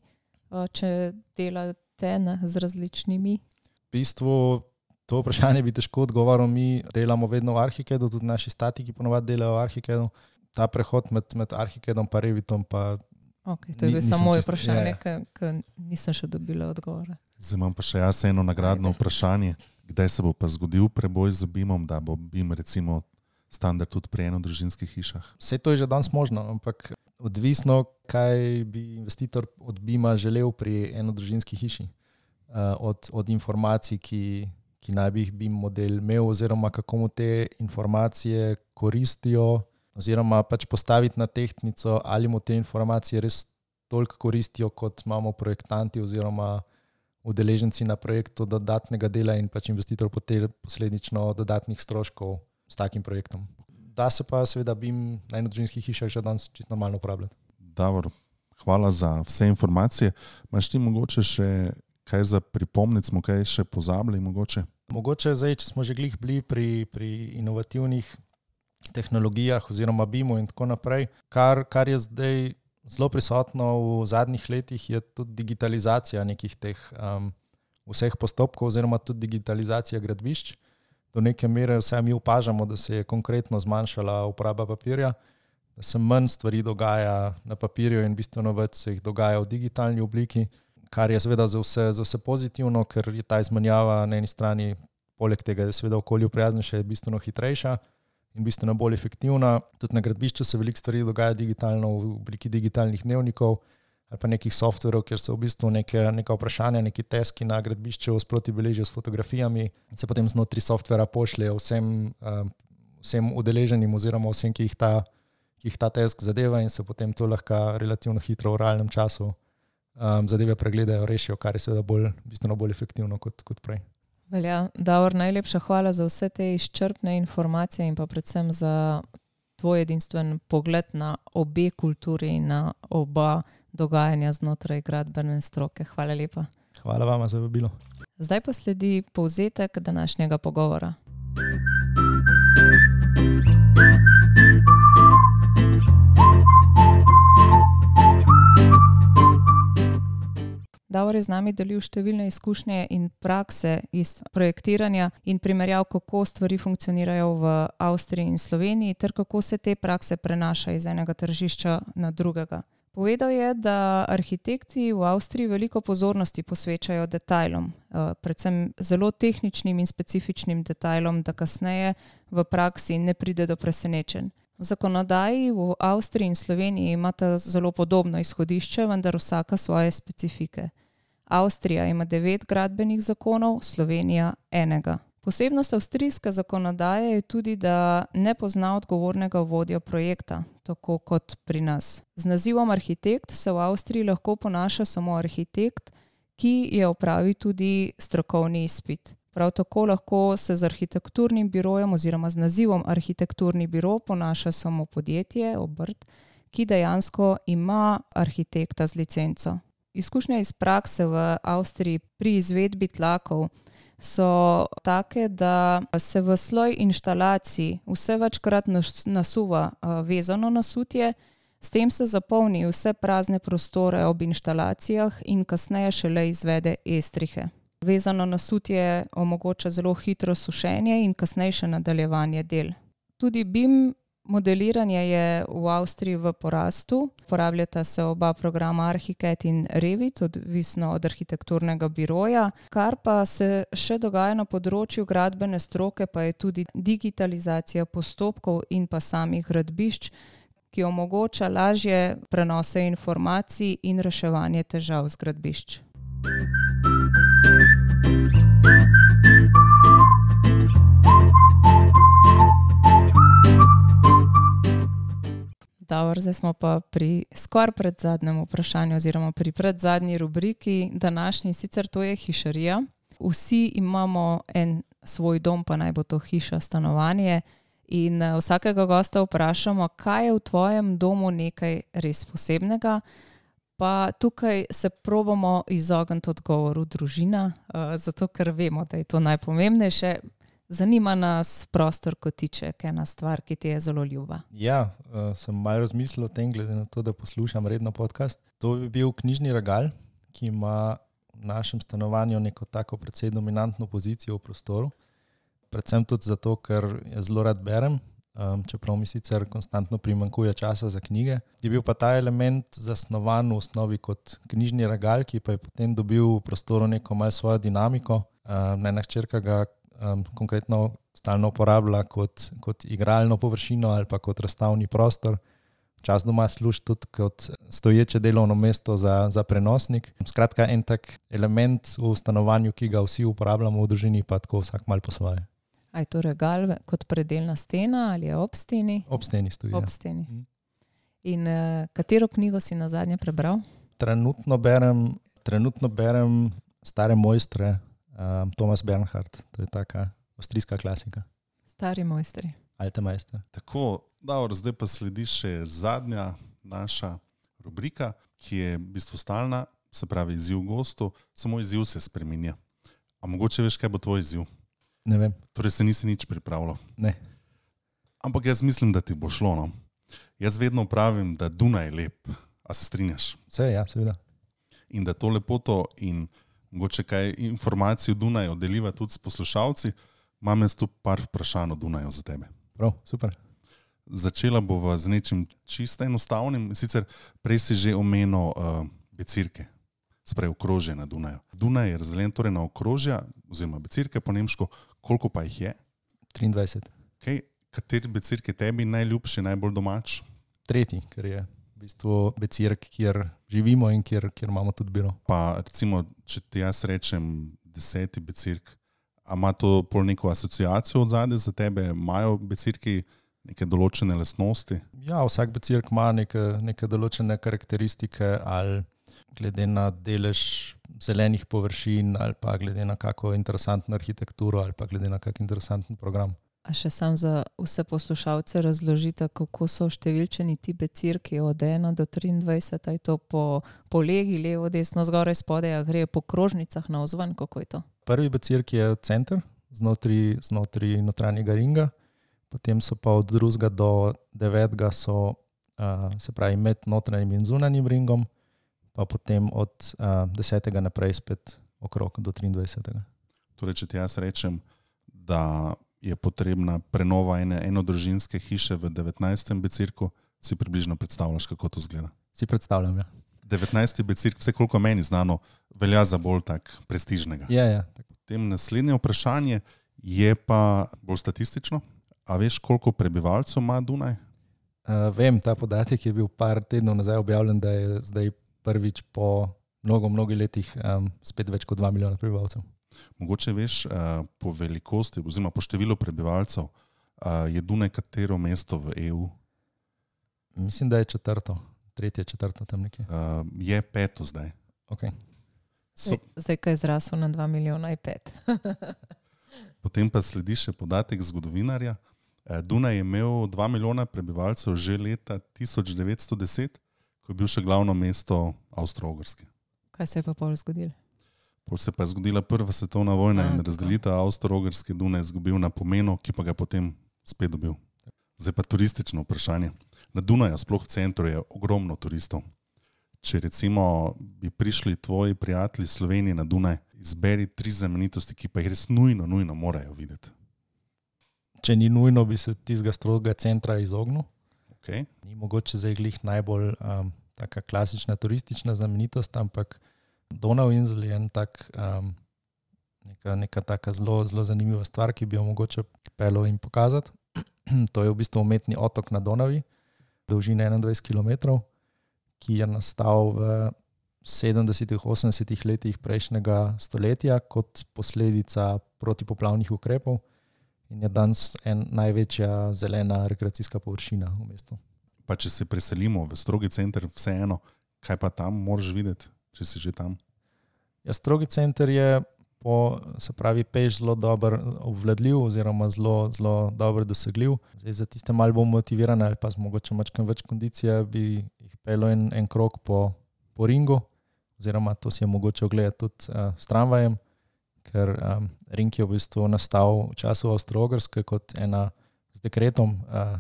če delate z različnimi? V bistvu to vprašanje bi težko odgovoril. Mi delamo vedno v Archicadu, tudi naši statiki ponovadi delajo v Archicadu. Ta prehod med Archicadom pa Revitom pa... Okay, to je samo moje vprašanje, ker nisem še dobila odgovora. Zdaj imam pa še jaz eno nagradno vprašanje. Kdaj se bo pa zgodil preboj z BIM-om, da bo BIM recimo standard tudi pri enodružinskih hišah? Vse to je že danes možno, ampak odvisno, kaj bi investitor od BIM-a želel pri enodružinski hiši. Od informacij, ki naj bi jih BIM model imel, oziroma kako mu te informacije koristijo, oziroma pač postaviti na tehtnico, ali mu te informacije res toliko koristijo, kot imamo projektanti oziroma udeleženci na projektu dodatnega dela in pač investitor posledično dodatnih stroškov s takim projektom. Da se pa seveda BIM na enodružinskih hišah že danes čisto normalno uporabljati. Davor, hvala za vse informacije. Imaš ti mogoče še kaj za pripomnic, smo kaj še pozabili mogoče? Mogoče zdaj, če smo že glih bili pri inovativnih tehnologijah oziroma BIM-u in tako naprej, kar je zdaj zelo prisotno v zadnjih letih, je tudi digitalizacija nekih teh vseh postopkov oziroma tudi digitalizacija gradbišč. Do neke mere vsaj mi opažamo, da se je konkretno zmanjšala uporaba papirja, da se manj stvari dogaja na papirju in bistveno več se jih dogaja v digitalni obliki, kar je seveda za vse pozitivno, ker je ta izmenjava na eni strani, poleg tega, da je seveda okolju prijaznejša, je bistveno hitrejša in bistveno bolj efektivna. Tudi na gradbišču se veliko stvari dogaja digitalno v obliki digitalnih dnevnikov ali pa nekih softverov, kjer se v bistvu neka vprašanja, neki teski na gradbišču sproti beležijo s fotografijami in se potem znotri softvera pošljejo vsem udeleženim oziroma vsem, ki jih ta tesk zadeva in se potem to lahko relativno hitro v realnem času zadeve pregledajo, rešijo, kar je seveda bistveno bolj efektivno kot prej. Velja, Davor, najlepša hvala za vse te izčrpne informacije in pa predvsem za tvoj edinstven pogled na obe kulturi in na oba dogajanja znotraj gradbene stroke. Hvala lepa. Hvala vama za vabilo. Zdaj pa sledi povzetek današnjega pogovora. Davor je z nami delil številne izkušnje in prakse iz projektiranja in primerjav, kako stvari funkcionirajo v Avstriji in Sloveniji ter kako se te prakse prenaša iz enega tržišča na drugega. Povedal je, da arhitekti v Avstriji veliko pozornosti posvečajo detajlom, predvsem zelo tehničnim in specifičnim detajlom, da kasneje v praksi ne pride do presenečenj. Zakonodaji v Avstriji in Sloveniji imata zelo podobno izhodišče, vendar vsaka svoje specifike. Avstrija ima 9 gradbenih zakonov, Slovenija enega. Posebnost avstrijske zakonodaje je tudi, da ne pozna odgovornega vodja projekta, tako kot pri nas. Z nazivom arhitekt se v Avstriji lahko ponaša samo arhitekt, ki je opravil tudi strokovni izpit. Prav tako lahko se z arhitekturnim birojem oziroma z nazivom arhitekturni biro ponaša samo podjetje, obrt, ki dejansko ima arhitekta z licenco. Izkušnje iz prakse v Avstriji pri izvedbi tlakov so take, da se v sloj inštalacij vse večkrat nasuva vezano nasutje, s tem se zapolni vse prazne prostore ob inštalacijah in kasneje šele izvede estrihe. Vezano nasutje omogoča zelo hitro sušenje in kasnejše nadaljevanje del. Tudi BIM modeliranje je v Avstriji v porastu. Uporabljata se oba programa Archicad in Revit, odvisno od arhitekturnega biroja. Kar pa se še dogaja na področju gradbene stroke, pa je tudi digitalizacija postopkov in pa samih gradbišč, ki omogoča lažje prenose informacij in reševanje težav z gradbišč. Davor, Dobro, zdaj smo pa pri skoraj predzadnjem vprašanju oziroma pri predzadnji rubriki današnji, sicer to je hišarija. Vsi imamo en svoj dom, pa naj bo to hiša, stanovanje in vsakega gosta vprašamo, kaj je v tvojem domu nekaj res posebnega, pa tukaj se probamo izogniti odgovoru družina, zato ker vemo, da je to najpomembnejše. Zanima nas prostor kotiček, ena stvar, ki ti je zelo ljuba. Ja, sem malo razmislil o tem, glede na to, da poslušam redno podcast. To bi bil knjižni regal, ki ima v našem stanovanju neko tako precej dominantno pozicijo v prostoru. Predvsem tudi zato, ker jaz zelo rad berem, čeprav mi sicer konstantno primanjkuje časa za knjige. Je bil pa ta element zasnovan v osnovi kot knjižni regal, ki pa je potem dobil v prostoru neko malo svojo dinamiko. Ena hčerka ga konkretno stalno uporablja kot igralno površino ali pa kot razstavni prostor. Včasih doma služi tudi kot stoječe delovno mesto za prenosnik. Skratka, en tak element v stanovanju, ki ga vsi uporabljamo v družini, pa tako vsak malo po svoje. A je to regal kot predelna stena ali je ob steni? Ob steni stoji. Ob steni. In katero knjigo si nazadnje prebral? Trenutno berem Stare mojstre, Thomas Bernhard, to je taka avstrijska klasika. Stari mojstri. Alte Meister. Tako, dobro, zdaj pa sledi še zadnja naša rubrika, ki je v bistvu stalna, se pravi izziv gostu, samo izziv se spreminja. A mogoče veš, kaj bo tvoj izziv? Ne vem. Torej se nisi nič pripravljal. Ne. Ampak jaz mislim, da ti bo šlo, no. Jaz vedno pravim, da Dunaj je lep. A se strinjaš? Vse, ja, seveda. In da to lepoto in mogoče kaj informacij o Dunaju deliva tudi s poslušalci, imam jaz tu par vprašanj o Dunaju za tebe. Prav, super. Začela bova z nečim čisto enostavnim, sicer prej si že omenil becirke, sprej okrožje na Dunaju. Dunaj je razdeljen torej na okrožja, oziroma becirke po nemško, koliko pa jih je? 23. Okay. Kateri becirk je tebi najljubši, najbolj domač? Tretji, ker je v bistvu becirk, kjer živimo in kjer imamo tudi biro. Pa recimo, če ti jaz rečem 10. becirk, a ima to pol neko asociacijo od zadaj za tebe? Imajo becirki neke določene lastnosti? Ja, vsak becirk ima neke določene karakteristike, ali glede na delež zelenih površin, ali pa glede na kako interesantno arhitekturo, ali pa glede na kak interesanten program. A še sam za vse poslušalce razložite, kako so številčeni ti becirki od 1 do 23, je to po legi, levo, desno, zgoraj, spodaj, a gre po krožnicah navzven, kako je to? Prvi becirk je center, znotraj notranjega ringa, potem so pa od 2. do 9. so, se pravi, med notranjim in zunanjim ringom, pa potem od 10. naprej spet okrog do 23. Torej, če ti jaz rečem, da je potrebna prenova enodružinske hiše v 19. becirku, si približno predstavljaš, kako to izgleda? Si predstavljam, ja. 19. becirk, vse koliko meni znano, velja za bolj tak prestižnega. Ja. Potem naslednje vprašanje je pa bolj statistično. A veš, koliko prebivalcev ima Dunaj? Vem, ta podatek je bil par tednov nazaj objavljen, da je zdaj prvič po mnogo letih spet več kot 2 milijona prebivalcev. Mogoče veš, po velikosti oziroma po številu prebivalcev je Dunaj katero mesto v EU? Mislim, da je 4., 3., 4. tam nekje. Je 5. zdaj. Okay. Zdaj, ko je zrasel na 2 milijona, je 5. Potem pa sledi še podatek zgodovinarja. Dunaj je imel 2 milijona prebivalcev že leta 1910, ko je bil še glavno mesto Avstro-Ogrske. Kaj se je pa pol zgodilo? Pol se pa je zgodila prva svetovna vojna in razdelitev Avstro-Ogrske Dunaj je izgubil na pomenu, ki pa ga potem spet dobil. Zdaj pa turistično vprašanje. Na Dunaju, sploh v centru, je ogromno turistov. Če recimo bi prišli tvoji prijatelji Slovenije na Dunaj, izberi 3 znamenitosti, ki pa jih res nujno morajo videti. Če ni nujno, bi se tistega strogega centra izognil. Okay. Ni mogoče zdaj glih najbolj taka klasična turistična znamenitost, ampak Donauinsel je neka taka zelo zanimiva stvar, ki bi jo mogoče peljal in pokazati. To je v bistvu umetni otok na Donavi, dolžine 21 km, ki je nastal v 70-80 letih prejšnjega stoletja kot posledica protipoplavnih ukrepov in je danes največja zelena rekreacijska površina v mestu. Pa če se preselimo v strogi center, vseeno, kaj pa tam moraš videti, če si že tam? Ja, strogi center je peš zelo dobro obvladljiv oziroma zelo, zelo dobro dosegljiv. Zdaj, za tiste malo bolj motivirane ali pa z mogoče mačkam več kondicije bi jih pelil en krog po ringu, oziroma to si je mogoče ogledati tudi s tramvajem, ker ring je v bistvu nastal v času Avstro-Ogrske kot z dekretom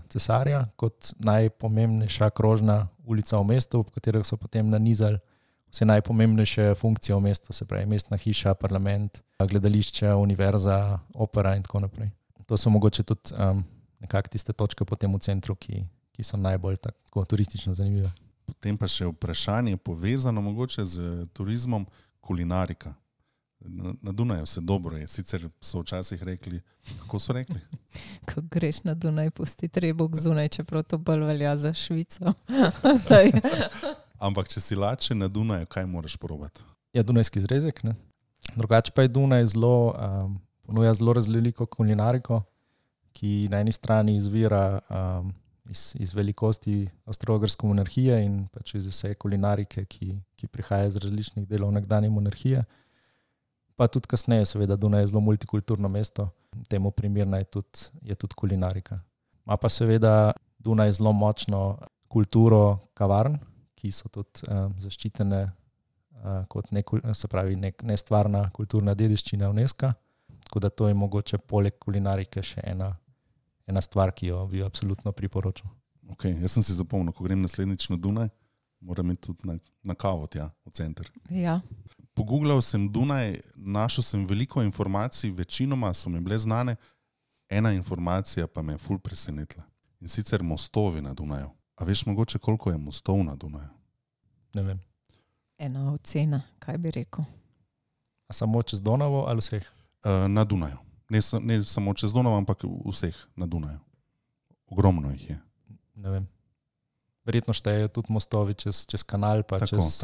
cesarja, kot najpomembnejša krožna ulica v mestu, v katerih so potem nanizali vse najpomembnejše funkcije v mestu, se pravi mestna hiša, parlament, gledališče, univerza, opera in tako naprej. To so mogoče tudi nekako tiste točke potem v centru, ki so najbolj tako turistično zanimive. Potem pa še vprašanje povezano mogoče z turizmom, kulinarika. Na Dunaju se dobro je, sicer so včasih rekli, kako so rekli? Ko greš na Dunaj, pusti trebok zunaj, čeprav to bolj velja za Švico. Zdaj. Ampak če si lačen na Dunaju, kaj moraš probati? Ja, dunajski zrezek, ne. Drugače pa je Dunaj ponuja zelo različno kulinariko, ki na eni strani izvira iz velikosti Avstro-Ogrske monarhije in pač iz vse kulinarike, ki prihaja iz različnih delov nekdanje monarhije. Pa tudi kasneje, seveda, Dunaj je zelo multikulturno mesto, temu primerna je tudi kulinarika. Ima pa seveda Dunaj zelo močno kulturo kavarn, ki so tudi zaščitene kot nestvarna kulturna dediščina UNESCO. Tako da to je mogoče poleg kulinarike še ena stvar, ki jo bi absolutno priporočil. Ok, jaz sem si zapomnil, ko grem naslednjič na Dunaj, moram iti tudi na kavo tja, v center. Ja. Pogooglal sem Dunaj, našel sem veliko informacij, večinoma so mi bile znane, ena informacija pa me je ful presenetila. In sicer mostovi na Dunaju. A veš mogoče, koliko je mostov na Dunaju? Ne vem. Ena ocena, kaj bi rekel? A samo čez Donavo ali vseh? Na Dunaju. Ne samo čez Donavo, ampak vseh na Dunaju. Ogromno jih je. Ne vem. Verjetno štejejo tudi mostovi čez kanal, pa tako, čez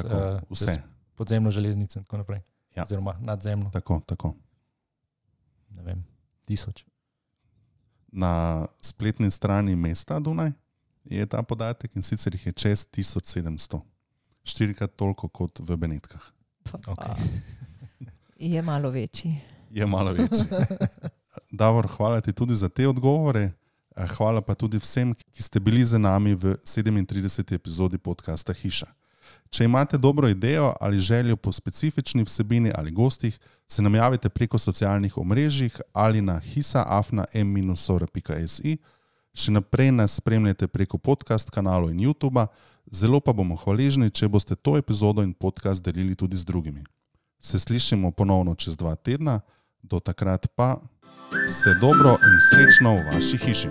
podzemno železnico in tako naprej. Ja. Oziroma nadzemno. Tako. Ne vem, 1000. Na spletni strani mesta Dunaj je ta podatek in sicer jih je čez 1700. 4krat toliko kot v Benetkah. Okay. Je malo večji. Je malo večji. Davor, hvala ti tudi za te odgovore. Hvala pa tudi vsem, ki ste bili z nami v 37. epizodi podcasta Hiša. Če imate dobro idejo ali željo po specifični vsebini ali gostih, se nam javite preko socialnih omrežjih ali na hisa@m-sora.si. Še naprej nas spremljate preko podcast kanalov in YouTubea, zelo pa bomo hvaležni, če boste to epizodo in podcast delili tudi z drugimi. Se slišimo ponovno čez 2 tedna, do takrat pa vse dobro in srečno v vaši hiši.